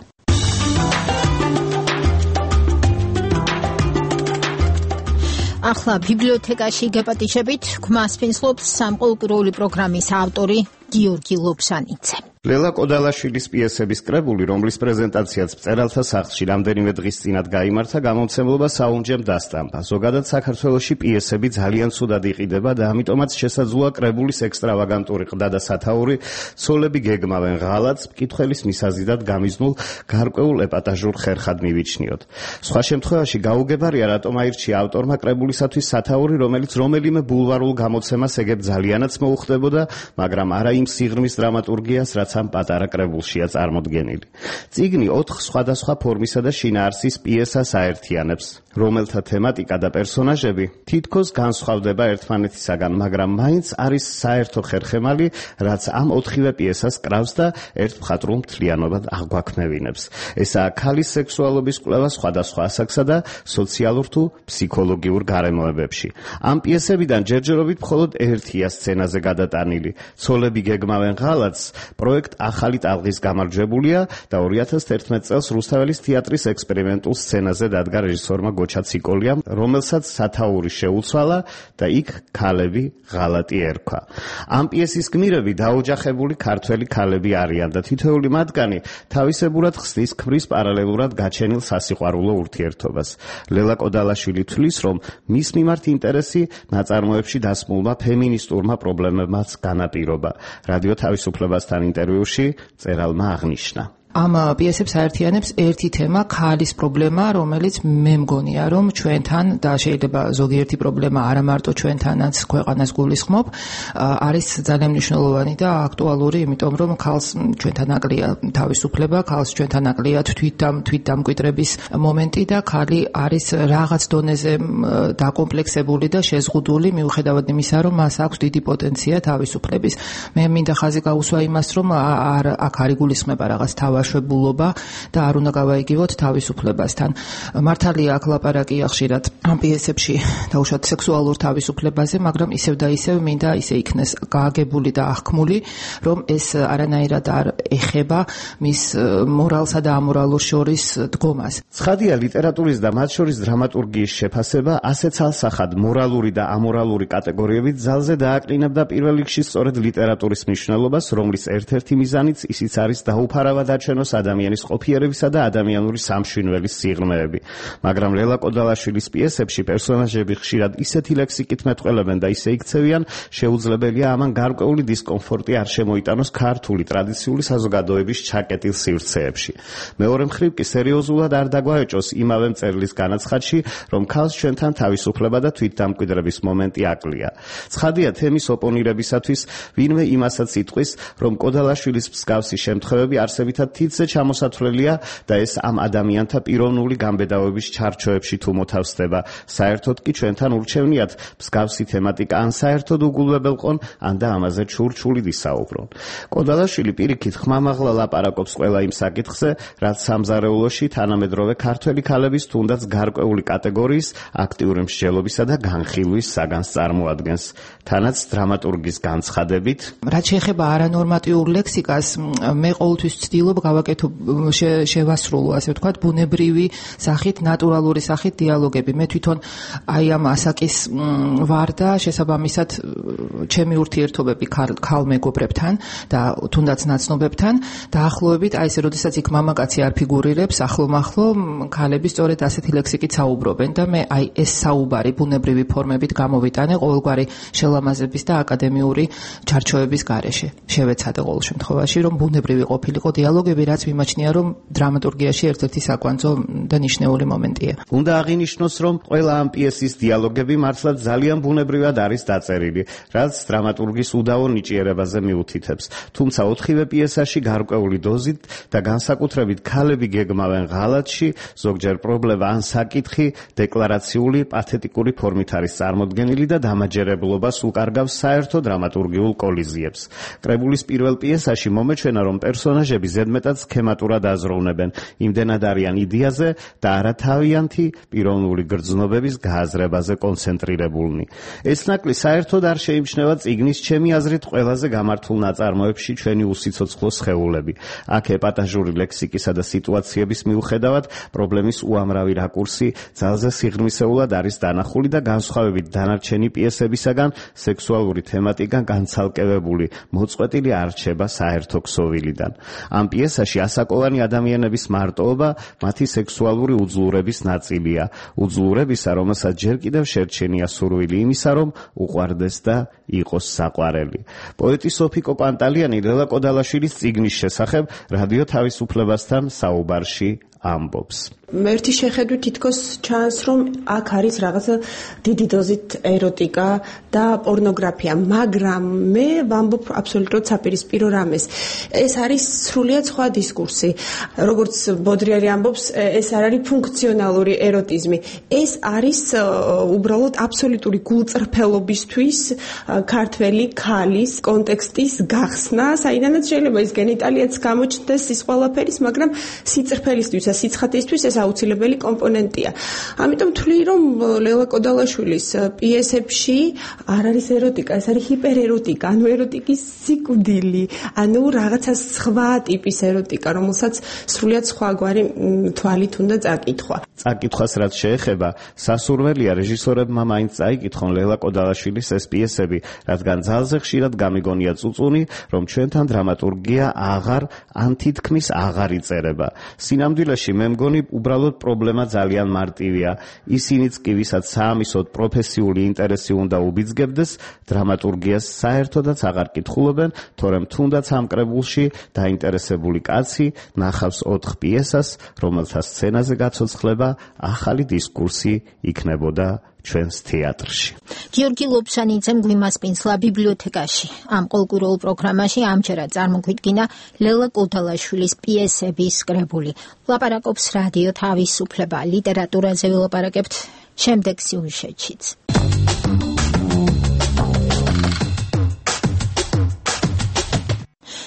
ახლა ბიბლიოთეკაში გეპატიჟებით, გვმას ფინსლობს სამყოლკვირეული პროგრამის ავტორი გიორგი ლობსანიძე. ლელა კოდალაშვილის პიესების კრებული, რომლის პრეზენტაციაც მწერალთა სახლში რამდენიმე დღის წინათ გაიმართა, გამომცემლობა საუნჯემ დასტამბა. ზოგადად საქართველოში პიესები ძალიან ცუდად იყიდება და ამიტომაც შესაძლოა კრებულის ექსტრავაგანტური ყდა და სათაური ცოლები გეგმავენ ღალატს მკითხველის მისაზიდად გამიზნულ გარკვეულ ეპატაჟურ ხერხად მივიჩნიოთ. სხვა შემთხვევაში გაუგებარია, რატომ აირჩია ავტორმა კრებულისათვის სათაური, რომელიც რომელიმე ბულვარულ გამოცემას ეგებ ძალიანაც მოუხდებოდა, მაგრამ არა იმ სიღრმის დრამატურგიას, რაც ამ პატარა კრებულშია წარმოდგენილი. წიგნი 4 სხვადასხვა ფორმისა და შინაარსის პიესას აერთიანებს, რომელთა თემატიკა და პერსონაჟები თითქოს განსხვავდება ერთმანეთისაგან, მაგრამ მაინც არის საერთო ხერხემალი, რაც ამ 4-ვე პიესას კრავს და ერთ მხატვრულ მთლიანობად აღვაქმევინებს. ესაა ქალის სექსუალობის კვლევა სხვადასხვა ასაკსა და სოციალურ თუ ფსიქოლოგიურ გარემოებებში. ამ პიესებიდან ჯერჯერობით მხოლოდ ერთია სცენაზე გადატანილი. ცოლები გეგმავენ ღალატს პროექტ ახალი ტალღის გამარჯვებულია და 2011 წელს რუსთაველის თეატრის ექსპერიმენტულ სცენაზე დადგა რეჟისორმა გოჩა ციკოლიამ, რომელსაც სათაური შეუცვალა და იქ ქალები ღალატი ერქვა. ამ პიესის გმირები დაოჯახებული ქართველი ქალები არიან და თითოეული მათგანი თავისებურად ხსნის ქმრის პარალელურად გაჩენილ სასიყვარულო ურთიერთობას. ლელა კოდალაშვილი თვლის, რომ მის მიმართ ინტერესი ნაწარმოებში დასმულმა ფემინისტურმა პრობლემებმაც განაპირობა. რადიო თავისუფლებასთან ინტერვიუში მწერალმა აღნიშნა: ამ პიესებს აერთიანებს ერთი თემა, ქალის პრობლემა, რომელიც მე მგონია, რომ ჩვენთან და შეიძლება ზოგიერთი პრობლემა არა მარტო ჩვენთანაც ქვეყანას გულისხმობ, არის ძალიან მნიშვნელოვანი და აქტუალური, იმიტომ რომ ქალს ჩვენთან აკლია თავისუფლება, ქალს ჩვენთან აკლია თვითდამკვიდრების მომენტი და ქალი არის რაღაც დონეზე დაკომპლექსებული და შეზღუდული, მიუხედავად იმისა, რომ მას აქვს დიდი პოტენცია თავისუფლების. მე მინდა ხაზი გაუსვა იმას, რომ აქ არ იგულისხმება რაღაც თავაშვებულობა და არ უნდა გავაიგივოთ თავისუფლებასთან. მართალია აქ ლაპარაკია ხშირად ამ პიესებში დაუშვათ სექსუალურ თავისუფლებაზე, მაგრამ ისევ და ისევ მინდა ისე იქნეს გააგებული და აღქმული, რომ ეს არანაირად არ ეხება მის მორალსა და ამორალურ შორის დგომას. ცხადია, ლიტერატურის და მათ შორის დრამატურგიის შეფასება ასე ცალსახად მორალური და ამორალური კატეგორიებით ძალზე დააკრინებდა პირველ რიგში სწორედ ლიტერატურის მნიშვნელობას, რომლის ერთ-ერთი მიზანიც ისიც არის დაუფარავად აჩერება გამოჩენოს ადამიანის ყოფიერებისა და ადამიანური სამშვინველის სიღრმეები. მაგრამ ლელა კოდალაშვილის პიესებში პერსონაჟები ხშირად ისეთი ლექსიკით მეტყველებენ და ისე იქცევიან, შეუძლებელია ამან გარკვეული დისკომფორტი არ შემოიტანოს ქართული ტრადიციული საზოგადოების ჩაკეტილ სივრცეებში. მეორე მხრივ კი სერიოზულად არ დაგვაეჭოს იმავე მწერლის განაცხადში, რომ ქალს ჩვენთან თავისუფლება და თვითდამკვიდრების მომენტი აკლია. ცხადია თემის ოპონირებისათვის ვინმე იმასაც იტყვის, რომ კოდალაშვილის მსგავსი შემთხვევები არსებითად თითზე ჩამოსათვლელია და ეს ამ ადამიანთა პიროვნული გამბედავების ჩარჩოებში თუ მოთავსდება. საერთოდ კი ჩვენთან ურჩევნიათ მსგავსი თემატიკა ან საერთოდ უგულებელყონ, ან და ამაზე ჩურჩულით ისაუბრონ. კოდალაშვილი პირიქით ხმამაღლა ლაპარაკობს ყველა იმ საკითხზე, რაც სამზარეულოში თანამედროვე ქართველი ქალების თუნდაც გარკვეული კატეგორიის აქტიური მსჯელობისა და განხილვის საგანს წარმოადგენს. თანაც დრამატურგის განცხადებით, რაც შეეხება არანორმატიულ ლექსიკას, მე ყოველთვის ვცდილობ გავაკეთო შევასრულო, ასე ვთქვათ, ბუნებრივი სახით, ნატურალური სახით დიალოგები. მე თვითონ აი ამ ასაკის ვარ და შესაბამისად ჩემი ურთიერთობები ქალ მეგობრებთან და თუნდაც ნაცნობებთან დაახლოებით აი ესე, როდესაც იქ მამაკაცი არ ფიგურირებს, ახლო-მახლო ქალები სწორედ ასეთი ლექსიკით საუბრობენ და მე აი ეს საუბარი ბუნებრივი ფორმებით გამოვიტანე ყოველგვარი შელამაზების და აკადემიური ჩარჩოების გარეშე. შევეცადე ყოველ შემთხვევაში, რომ ბუნებრივი ყოფილიყო დიალოგები, რაც მიმაჩნია, რომ დრამატურგიაში ერთ-ერთი საკვანძო და ნიშნეული მომენტია. უნდა აღინიშნოს, რომ ყველა ამ პიესის დიალოგები მართლაც ძალიან ბუნებრივად არის დაწერილი, რაც დრამატურგის უდავო ნიჭიერებაზე მიუთითებს. თუმცა ოთხივე პიესაში გარკვეული დოზით და განსაკუთრებით ქალები გეგმავენ ღალატში, ზოგჯერ პრობლემა ან საკითხი დეკლარაციული პათეტიკური ფორმით არის წარმოდგენილი და დამაჯერებლობას უკარგავს საერთო დრამატურგიულ კოლიზიებს. კრებულის პირველ პიესაში მომეჩვენა, რომ პერსონაჟები ზედმეტად სქემატურად აზროვნებენ, იმდენად არიან იდეაზე და არათავიანთი პიროვნული გრძნობების გააზრებაზე კონცენტრირებულნი. ეს ნაკლი საერთოდ არ შეიმჩნევა წიგნის ჩემი აზრით ყველაზე გამართულ ნაწარმოებში ჩვენი უსიცოცხლო სხეულები. აქ ეპატაჟური ლექსიკისა და სიტუაციების მიუხედავად პრობლემის უამრავი რაკურსი ძალზე სიღრმისეულად არის დანახული და განსხვავებით დანარჩენი პიესებისაგან სექსუალური თემატიკა განცალკევებული, მოწყვეტილი არ რჩება საერთო ქსოვილიდან. ამ პიესაში ასაკოვანი ადამიანების მარტოობა მათი სექსუალური უძლურების ნაწილია. უძლურებისა, რომელსაც ჯერ კიდევ შერჩენია სურვილი იმისა, რომ უყვარდეს და იყოს საყვარელი. პოეტი სოფიკო პანტალიანი ლელა კოდალაშვილის წიგნის შესახებ რადიო თავისუფლებასთან საუბარში ამბობს. ერთი შეხედვით თითქოს ჩანს, რომ აქ არის რაღაცა დიდი დოზით ეროტიკა და პორნოგრაფია, მაგრამ მე ვამბობ აბსოლუტურად საპირისპირო რამეს. ეს არის სრულიად სხვა დისკურსი. როგორც ბოდრიარი ამბობს, ეს არ არის ფუნქციონალური ეროტიზმი. ეს არის უბრალოდ აბსოლუტური გულწრფელობისთვის ქართველი ქალის კონტექსტის გახსნა, საიდანაც შეიძლება ის გენიტალიაც გამოჩნდეს ის ყველაფერის, მაგრამ სიწრფელისთვის, სიცხადისთვის ეს აუცილებელი კომპონენტია. ამიტომ ვთვლი, რომ ლელა კოდალაშვილის პიესებში არ არის ეროტიკა, ეს არის ჰიპერეროტიკა, ანუ ეროტიკის სიკვდილი, ანუ რაღაცა სხვა ტიპის ეროტიკა, რომელსაც სრულიად სხვაგვარი თვალით უნდა წაკითხვა. წაკითხვას რაც შეეხება, სასურველია რეჟისორებმა მაინც წაიკითხონ ლელა კოდალაშვილის ეს პიესები, რადგან ძალზე ხშირად გამიგონია წუწუნი, რომ ჩვენთან დრამატურგია აღარ ან თითქმის აღარ იწერება. სინამდვილეში მე მგონი უბრალოდ პრობლემა ძალიან მარტივია. ისინიც კი, ვისაც საამისოდ პროფესიული ინტერესი უნდა უბიძგებდეს, დრამატურგიას საერთოდაც აღარ კითხულობენ, თორემ თუნდაც ამ კრებულში დაინტერესებული კაცი ნახავს 4 პიესას, რომელთა სცენაზე გაცოცხლება ახალი დისკურსი იქნებოდა ჩვენს თეატრში. გიორგი ლობსანიძემ გვიმასპინძლა ბიბლიოთეკაში. ამ ყოველკვირეულ პროგრამაში ამჯერად წარმოგვიდგინა ლელა კოდალაშვილის პიესების კრებული. ლაპარაკობს რადიო თავისუფლება. ლიტერატურაზე ვილაპარაკებთ შემდეგ სიუჟეტშიც.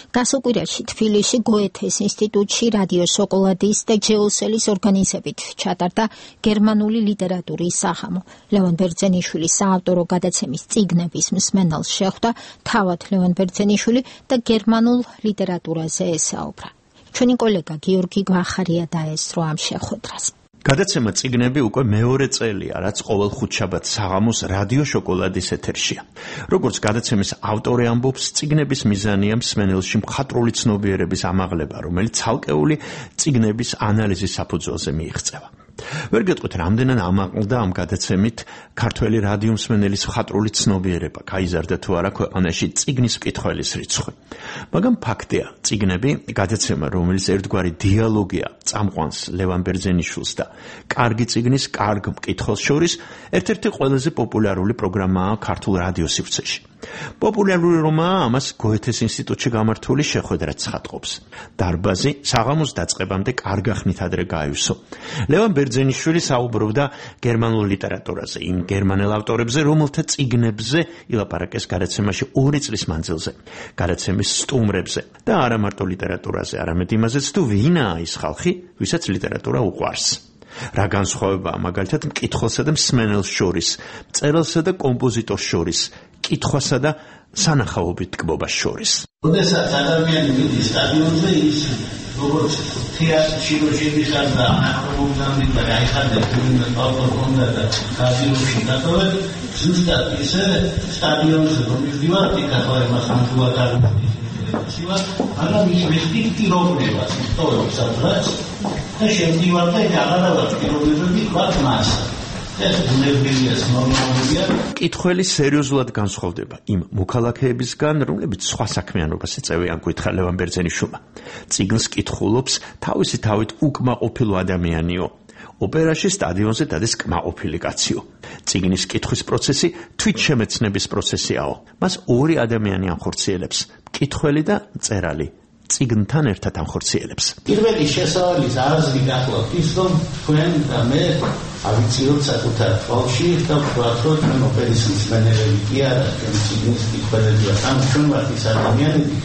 გასაკვირაში თბილისში გოეთეს ინსტიტუტში რადიო შოკოლადის და ჯეოსელის ორგანიზებით ჩატარდა გერმანული ლიტერატურის სახამო. ლევან ბერძენიშვილის საავტორო გადაცემის წიგნების მსმენელს შეხვდა თავად ლევან ბერძენიშვილი და გერმანულ ლიტერატურაზე ესაუბრა. ჩვენი კოლეგა გიორგი გვახარია დაესწრო ამ შეხვედრას. გადაცემა წიგნები უკვე მეორე წელია, რაც ყოველ ხუთშაბათს საღამოს რადიო შოკოლადის ეთერშია. როგორც გადაცემის ავტორი ამბობს, წიგნების მიზანია მსმენელში მხატვრული ცნობიერების ამაღლება, რომელიც ცალკეული წიგნების ანალიზის საფუძველზე მიიღწევა. ვერ გეტყვით, რამდენად ამაყლდა ამ გადაცემით ქართველი რადიო მსმენელის მხატვრული ცნობიერება, გაიზარდა თუ არა ქვეყანაში წიგნის მკითხველის რიცხვი. მაგრამ ფაქტია, წიგნები, გადაცემა, რომელიც ერთგვარი დიალოგია წამყვანს ლევან ბერძენიშვილს და კარგი წიგნის კარგ მკითხველს შორის, ერთ-ერთი ყველაზე პოპულარული პროგრამაა ქართულ რადიო სივრცეში. პოპულარული რომაა ამას გოეთეს ინსტიტუტში გამართული შეხვედრაც ხატყობს. დარბაზი საღამოს დაწყებამდე კარგ ხნით ადრე გაივსო. ლევან ბერძენიშვილი საუბრობდა გერმანულ ლიტერატურაზე, იმ გერმანელ ავტორებზე, რომელთა წიგნებზე ილაპარაკეს გადაცემაში 2 წლის მანძილზე, გადაცემის სტუმრებზე და არა მარტო ლიტერატურაზე, არამედ იმაზეც, თუ ვინაა ის ხალხი, ვისაც ლიტერატურა უყვარს. რა განსხვავებაა მაგალითად მკითხველსა და მსმენელს შორის, მწერალსა და კომპოზიტორს შორის, კითხვასა და სანახაობით ტკბობას შორის. როდესაც ადამიანი მიდის სტადიონზე, ის როგორც თეატრში შედის და აკრობობდნენ და გაიხადეთ იმ პალტონდა და კაზინოში დატოვეთ, ზუსტად ისე სტადიონზე რომ მივდივართ, იქ მას ამბულად აღნიშნავს, მაგრამ ის მესტიკირობას ისტორიებს ადრეს და შემდივართ და აღარავად პირობებები ვარ მას. მკითხველი სერიოზულად განსხვავდება იმ მოქალაქეებისგან, რომლებიც სხვა საქმიანობას ეწევიან, გითხრა ლევან ბერძენიშვილმა. წიგნს კითხულობს თავისი თავით უკმაყოფილო ადამიანიო. ოპერაში სტადიონზე დადეს კმაყოფილი კაციო. წიგნის კითხვის პროცესი თვითშემეცნების პროცესიაო. მას 2 ადამიანი ანხორციელებს, მკითხველი და მწერალი. წიგნთან ერთად ანხორციელებს. პირველი შესავალი აზრი გახლავთ ის, რომ თქვენ და მე ავიციოთ საკუთარ თვალში და ვთქვათ, რომ ჩვენ ოპერის მსმენელები კი არა, ჩვენ წიგნის მკითხველებია. ამ ჩვენ ვართ ის ადამიანები,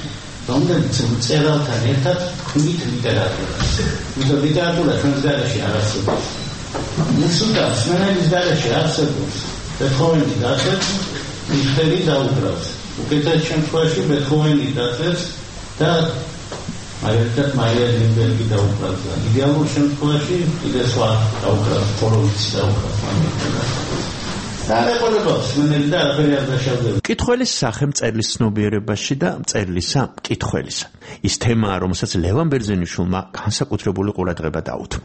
რომლებიც მწერალთან ერთად ქმნით ლიტერატურას. იმიტომ ლიტერატურა ჩვენს გარეშე არ არსებობს. მუსიკა მსმენელის გარეშე არსებობს. ბეთჰოვენი დაწვეს, მიხელი დაუკრავს. უკეთეს შემთხვევაში ბეთჰოვენი დაწვეს და მაგალითად მაია ლინბერგი დაუკრავს. იდეალურ შემთხვევაში კიდე სხვა დაუკრავს, ფოროვიცი დაუკრავს. მკითხველის სახე მწერლის ცნობიერებაში და მწერლისა მკითხველისა. ის თემაა, რომელსაც ლევან ბერძენიშვილმა განსაკუთრებული ყურადღება დაუთმო.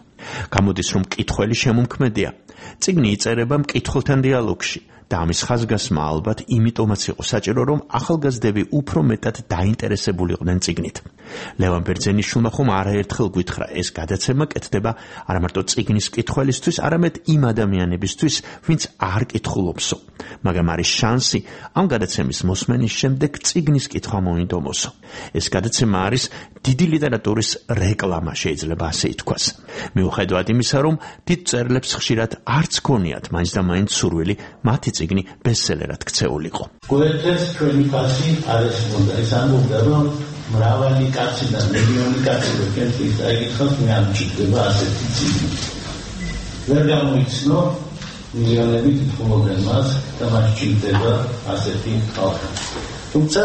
გამოდის, რომ მკითხველი შემომქმედია. წიგნი იწერება მკითხველთან დიალოგში. და ამის ხაზგასმა ალბათ იმიტომაც იყო საჭირო, რომ ახალგაზრდები უფრო მეტად დაინტერესებულიყვნენ წიგნით. ლევან ბერძენიშვილმა ხომ არაერთხელ გითხრა, ეს გადაცემა კეთდება არა მარტო წიგნის მკითხველისთვის, არამედ იმ ადამიანებისთვის, ვინც არ კითხულობსო. მაგრამ არის შანსი ამ გადაცემის მოსმენის შემდეგ წიგნის კითხვა მოინდომოსო. ეს გადაცემა არის დიდი ლიტერატურის რეკლამა, შეიძლება ასე ითქვას. მიუხედავად იმისა, რომ დიდ მწერლებს ხშირად არც ქონიათ მაინც და მაინც სურვილი მათი წიგნი ბესტსელერად ქცეულიყო. გოეთეს ჩვენი ფასი არის უნდა ეს ამბობდა, რომ მრავალი კაცი და მილიონი კაცი როკენთვის დაიგითხავს, მე არ მჭირდება ასეთი წიგნი. ვერ გამოიცნო მილიონები კითხულობენ მას და მას ჭირდება ასეთი ხალხი. თუმცა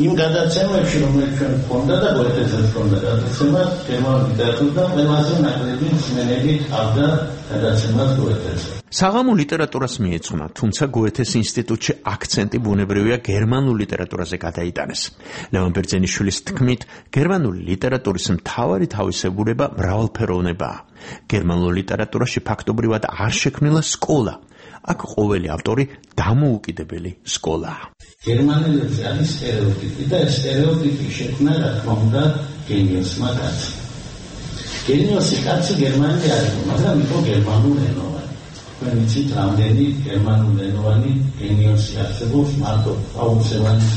იმ გადაცემებში, რომელიც ჩვენ გვქონდა და გოეთესაც გვქონდა გადაცემა, გერმანულ ლიტერატურიდან ყველაზე ნაკლები მსმენელი ჰყავდა გადაცემას გოეთეს. საღამო ლიტერატურას მიეძღვნა, თუმცა გოეთეს ინსტიტუტში აქცენტი ბუნებრივია გერმანულ ლიტერატურაზე გადაიტანეს. ლევან ბერძენიშვილის თქმით, გერმანული ლიტერატურის მთავარი თავისებურება მრავალფეროვნებაა. გერმანულ ლიტერატურაში ფაქტობრივად არ შექმნილა სკოლა. აქ ყოველი ავტორი დამოუკიდებელი სკოლაა. გერმანელებზე არის სტერეოტიპი და ეს სტერეოტიპი შექმნა, რა თქმა უნდა, გენიოსმა კაცი. გენიოსი კაცი გერმანელი არის, მაგრამ იყო გერმანულენოვანი. თქვენ იცით, რამდენი გერმანულენოვანი გენიოსი არსებობს, მარტო პაულსევანის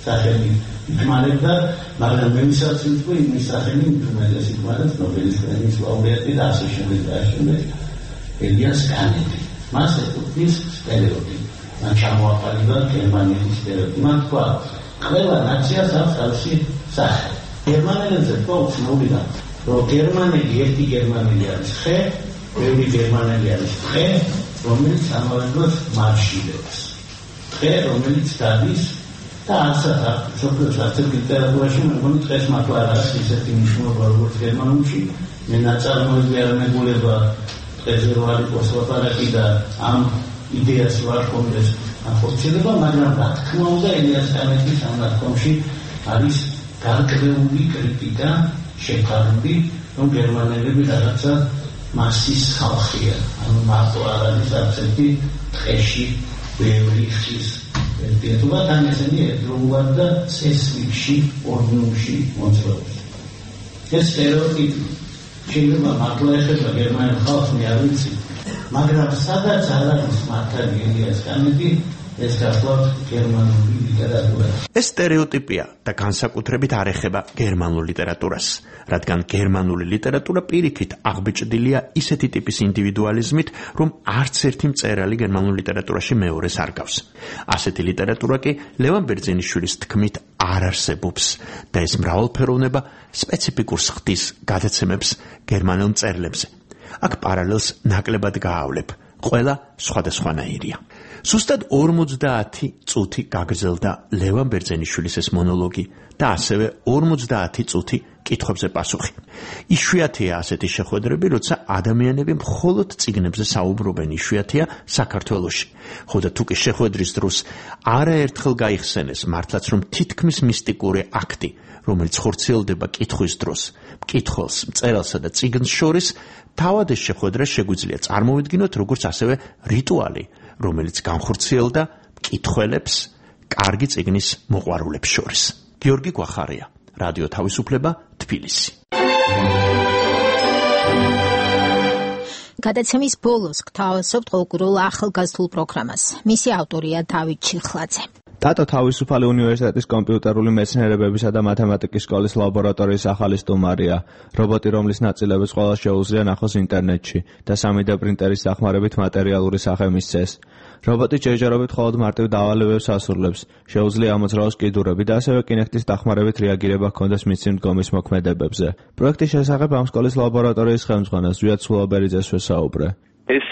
სახელი იხმარებდა, მაგრამ მე ვისაც ვიტყვი, იმის სახელი უმეტეს იხმარებს ნობელის პრემიის ლაურეატი და ასე შემდეგ და ასე შემდეგ. ელიას კანეტი. მას ეკუთვნის სტერეოტიპი. მან ჩამოაყალიბა გერმანელი სტერეოტიპი. მან თქვა, ყველა ნაციას აქვს თავისი სახე. გერმანელებზე თქვა უცნაურიდან, რომ გერმანელი ერთი გერმანელი არის ხე, ბევრი გერმანელი არის ხე, რომელიც ამავე დროს მარშილებს. ხე, რომელიც დადის და ასაა სოფლის ლიტერატურაში მეგონი დღეს მართლა არის ისეთი მნიშვნელობა, როგორც გერმანულში. მე ნაწარმოები არ მეგულება ეზე ვარ იყოს ლაპარაკი და ამ იდეას ვარ კონდეს ახორციელება, მაგრამ რა თქმა უნდა ელიას კანეთის ამ ნათქვამში არის გარკვეული კრიტიკა შეფარული, რომ გერმანელები რაღაცა მასის ხალხია, ანუ მარტო არ არის არცერთი ტყეში ბევრი ხის ერთიანობა, თან ესენი ერთდროულად და წესრიგში, ორდნულში მოძრაობს. ეს სტერეოტიპი შეიძლება მართლა ეხება გერმანელ ხალხს, მე არ ვიცი, მაგრამ სადაც არ არის მართალი ელიას კანეთი, ეს გახლავთ გერმანული ლიტერატურა. ეს სტერეოტიპია და განსაკუთრებით არ ეხება გერმანულ ლიტერატურას, რადგან გერმანული ლიტერატურა პირიქით აღბეჭდილია ისეთი ტიპის ინდივიდუალიზმით, რომ არც ერთი მწერალი გერმანულ ლიტერატურაში მეორეს არ გავს. ასეთი ლიტერატურა კი ლევან ბერძენიშვილის თქმით არ არსებობს და ეს მრავალფეროვნება სპეციფიკურს ხდის გადაცემებს გერმანელ მწერლებზე. აქ პარალელს ნაკლებად გაავლებ, ყველა სხვადასხვანაირია. Სუსტად 50 წუთი გაგრძელდა ლევან ბერძენიშვილის ეს მონოლოგი და ასევე 50 წუთი კითხვებზე პასუხი. იშვიათია ასეთი შეხვედრები, როცა ადამიანები მხოლოდ წიგნებზე საუბრობენ, იშვიათია საქართველოში. ხოდა თუ კი შეხვედრის დროს არაერთხელ გაიხსენეს მართლაც რომ თითქმის მისტიკური აქტი, რომელიც ხორციელდება კითხვის დროს, მკითხველს, მწერალსა და წიგნს შორის, თავად ეს შეხვედრა შეგვიძლია წარმოვიდგინოთ როგორც ასევე რიტუალი, რომელიც განხორციელდა მკითხველებს კარგი წიგნის მოყვარულებს შორის. გიორგი გვახარია, რადიო თავისუფლება, თბილისი. გადაცემის ბოლოს გთავაზობთ ყოველკვირეულ ახალგაზრდულ პროგრამას. მისი ავტორია დავით ჩიხლაძე. ტატო თავისუფალი უნივერსიტეტის კომპიუტერული მეცნიერებებისა და მათემატიკის სკოლის ლაბორატორიის ახალი სტუმარია. რობოტი, რომლის ნაწილებიც ყველა შეუძლია ნახოს ინტერნეტში და 3D პრინტერის დახმარებით მატერიალური სახე მისცეს. რობოტი ჯერჯერობით მხოლოდ მარტივ დავალებებს ასრულებს, შეუძლია ამოძრავოს კიდურები და ასევე კინექტის დახმარებით რეაგირება ჰქონდეს მისი მდგომის მოქმედებებზე. პროექტის შესახებ ამ სკოლის ლაბორატორიის ხელმძღვანელს ზვიად სულაბერიძეს ვესაუბრე. ეს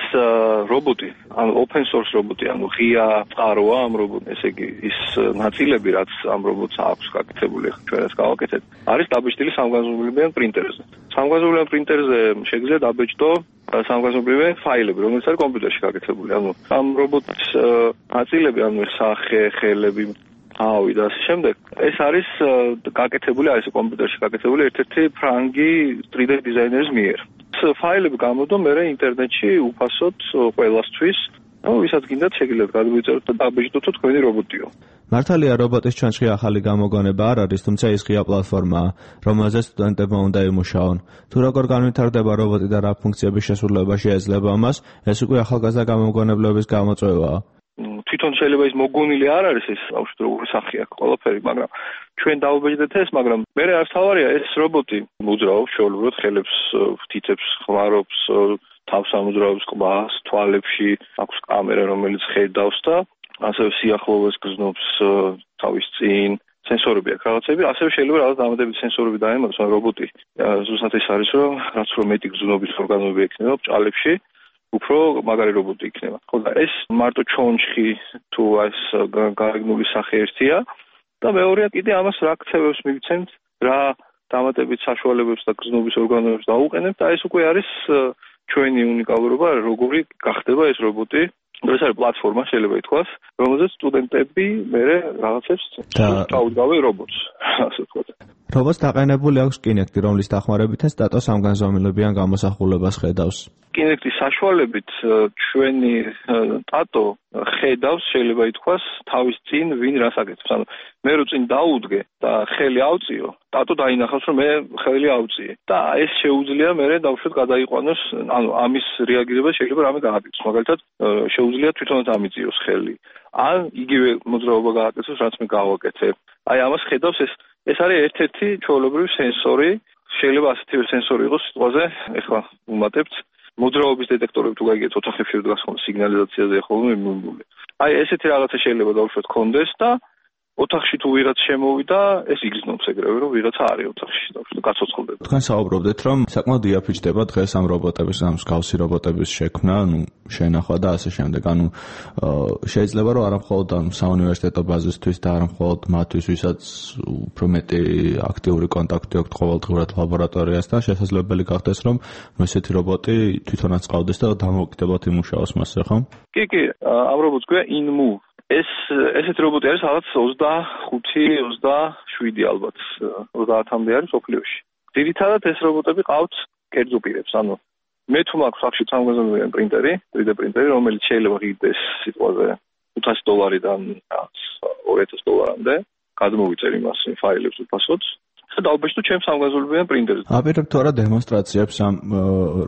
რობოტი, ანუ open source რობოტი, ანუ ღია წყაროა ამ რობოტს, ესე იგი ის ნაწილები, რაც ამ რობოტს აქვს გაკეთებული, ჩვენ ეს გავაკეთეთ, არის დაბეჭდილი სამგანზომილებიან პრინტერზე. სამგანზომილებიან პრინტერზე შეგვიძლია დაბეჭდო სამგანზომილებიანი ფაილები, რომელიც არის კომპიუტერში გაკეთებული. ანუ ამ რობოტის ნაწილები, ანუ სახე, ხელები, ავი და ასე შემდეგ. ეს არის გაკეთებული, არის კომპიუტერში გაკეთებული ერთ-ერთი ფრანგი 3D დიზაინერის მიერ. ფაილები გამოდო მე ინტერნეტში უფასოდ ყველასთვის, ანუ ვისაც გინდათ შეგიძლიათ გადმოიწეროთ და დაბეჭდოთ თქვენი რობოტიო. მართალია რობოტის ჩანჩხი ახალი გამოგონება არ არის, თუმცა ის ღია პლატფორმაა, რომელზეც სტუდენტებმა უნდა იმუშაონ. თუ როგორ განვითარდება რობოტი და რა ფუნქციების შესრულება შეეძლება ამას, ეს უკვე ახალგაზრდა გამოგონებლების გამოწვევაა. თვითონ შეიძლება ის მოგონილი არ არის ეს ბავშვი როგორი სახე აქვს ყველაფერი, მაგრამ ჩვენ დავაბეჭდეთ ეს, მაგრამ მე არც თავარია ეს რობოტი მოძრაობს შეუძლებლად ხელებს ვთითებს, ხმარობს, თავს ამოძრაობს ყბას, თვალებში, აქვს კამერა რომელიც ხედავს და ასევე სიახლოვეს გრძნობს თავის წინ, სენსორები აქვს რაღაცები, ასევე შეიძლება რაღაც დამატებითი სენსორები დაემატოს, მაგრამ რობოტი ზუსტად ეს არის, რომ რაც რომ მეტი გრძნობის ორგანოები ექნება ბრჭყალებში უფრო მაგარი რობოტი იქნება. ხოდა ეს მარტო ჩონჩხი თუ ეს გარეგნული სახე ერთია და მეორეა კიდე ამას რა ქცევებს მივცემთ, რა დამატებით საშუალებებს და გრძნობის ორგანოებს დაუყენებთ და ეს უკვე არის ჩვენი უნიკალურობა, როგორი გახდება ეს რობოტი. ეს არის პლატფორმა, შეიძლება ითქვას, რომელზეც სტუდენტები მე რაღაცებს დაუდგავენ რობოტს, ასე ვთქვათ. რობოტს დაყენებული აქვს კინექტი, რომლის დახმარებითაც ტატო სამგანზომილებიან გამოსახულებას ხედავს. კინექტის საშუალებით ჩვენი ტატო ხედავს, შეიძლება ითქვას, თავის წინ ვინ რას აკეთებს. ანუ მე რო წინ დაუდგე და ხელი ავწიო, ტატო დაინახავს, რომ მე ხელი ავწიე. და ეს შეუძლია მე დავუშვათ გადაიყვანოს, ანუ ამის რეაგირება შეიძლება რამე გააკეთოს. მაგალითად, შეუძლია თვითონაც ამიწიოს ხელი. ან იგივე მოძრაობა გააკეთოს, რაც მე გავაკეთე. აი ამას ხედავს ეს არის ერთ-ერთი ჩვეულებრივი სენსორი, შეიძლება ასეთივე სენსორი იყოს სიტყვაზე, ეხლა ვუმატებთ მოძრაობის დეტექტორები თუ გაიგეთ ოთახებში დგას ხოლმე სიგნალიზაციაზე ხოლმე მიმული. აი ესეთი რაღაცა შეიძლება დავუშვათ კონდეს და ოთახში თუ ვიღაც შემოვიდა, ეს იგრძნობს ეგრევე, რომ ვიღაცა არის ოთახში და გაცოცხლდება. თქვენ საუბრობდეთ, რომ საკმაოდ იაფიჩდება დღეს ამ რობოტების, ამ მსგავსი რობოტების შექმნა, შენახვა და ასე შემდეგ. შეიძლება რომ არა მხოლოდ საუნივერსიტეტო ბაზისთვის და არა მხოლოდ მათთვის, ვისაც უფრო მეტი აქტიური კონტაქტი აქვთ ყოველდღურად ლაბორატორიასთან, შესაძლებელი გახდეს, რომ ესეთი რობოტი თვითონაც ყავდეს და დამოუკიდებლად იმუშაოს მასზე, ხო? კი, ამ რობოტს ქვია InMove. ესეთი რობოტი არის რაღაც 25-27 ალბათ 30-მდე არის სოფლიოში. ძირითადად ეს რობოტები ყავთ კერძო პირებს, ანუ მე თუ მაქვს სახში სამგანზომილებიანი პრინტერი, 3D პრინტერი, რომელიც შეიძლება ღირდეს სიტყვაზე $500-დან $2000-მდე, გადმოვიწერ იმას ფაილებს უფასოდ. დაალბეჭდო ჩემს სამგანზომილებიან პრინტერზე. აპირებთ თუ არა დემონსტრაციებს ამ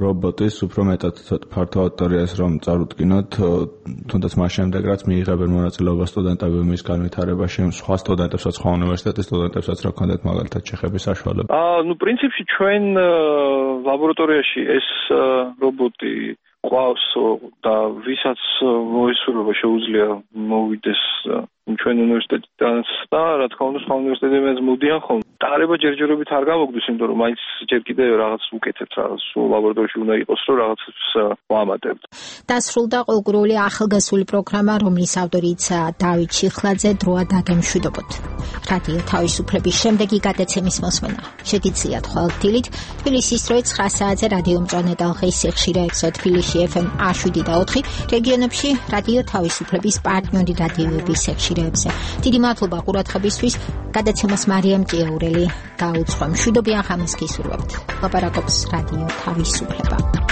რობოტის უფრო მეტად ფართო აუდიტორიას რომ წარუდგინოთ, თუნდაც მას შემდეგ რაც მიიღებენ მონაწილეობას სტუდენტები მის განვითარებაში, სხვა სტუდენტებსაც, სხვა უნივერსიტეტის სტუდენტებსაც რა ქონდათ მაგალითად შეხების საშუალება? პრინციპში ჩვენ ლაბორატორიაში ეს რობოტი ყავს და ვისაც მოისურვება შეუძლია მოვიდეს ჩვენ უნივერსიტეტიდან და რა თქმა უნდა სხვა უნივერსიტეტებიდან მოდიან ხოლმე. დაარება ჯერჯერობით არ გამოგდის, იმიტომ რომ მაინც ჯერ კიდევ რაღაც უკეთებთ, რაღაც ლაბორატორიაში უნდა იყოს, რომ რაღაცებს ვამატებთ. დასრულდა ყოველგვარული ახალგაზრდული პროგრამა, რომლის ავტორიც დავით შიხლაძე, დროა დაგემშვიდობოთ. რადიო თავისუფლების შემდეგი გადაცემის მოსმენა შეგიძლიათ ყოველდღიურად თბილისის დროით 9 საათზე რადიო მწვანე ტალღის სიხშირეებზე თბილისში FM 107 და 4, რეგიონებში რადიო თავისუფლების პარტნიორი რადიოების სიხშირეებზე. დიდი მადლობა ყურადღებისთვის. გადაცემას მარიამ ჭიაურელი გაუძღვა. მშვიდობიან ხამის გისურვებთ. ლაპარაკობს რადიო თავისუფლება.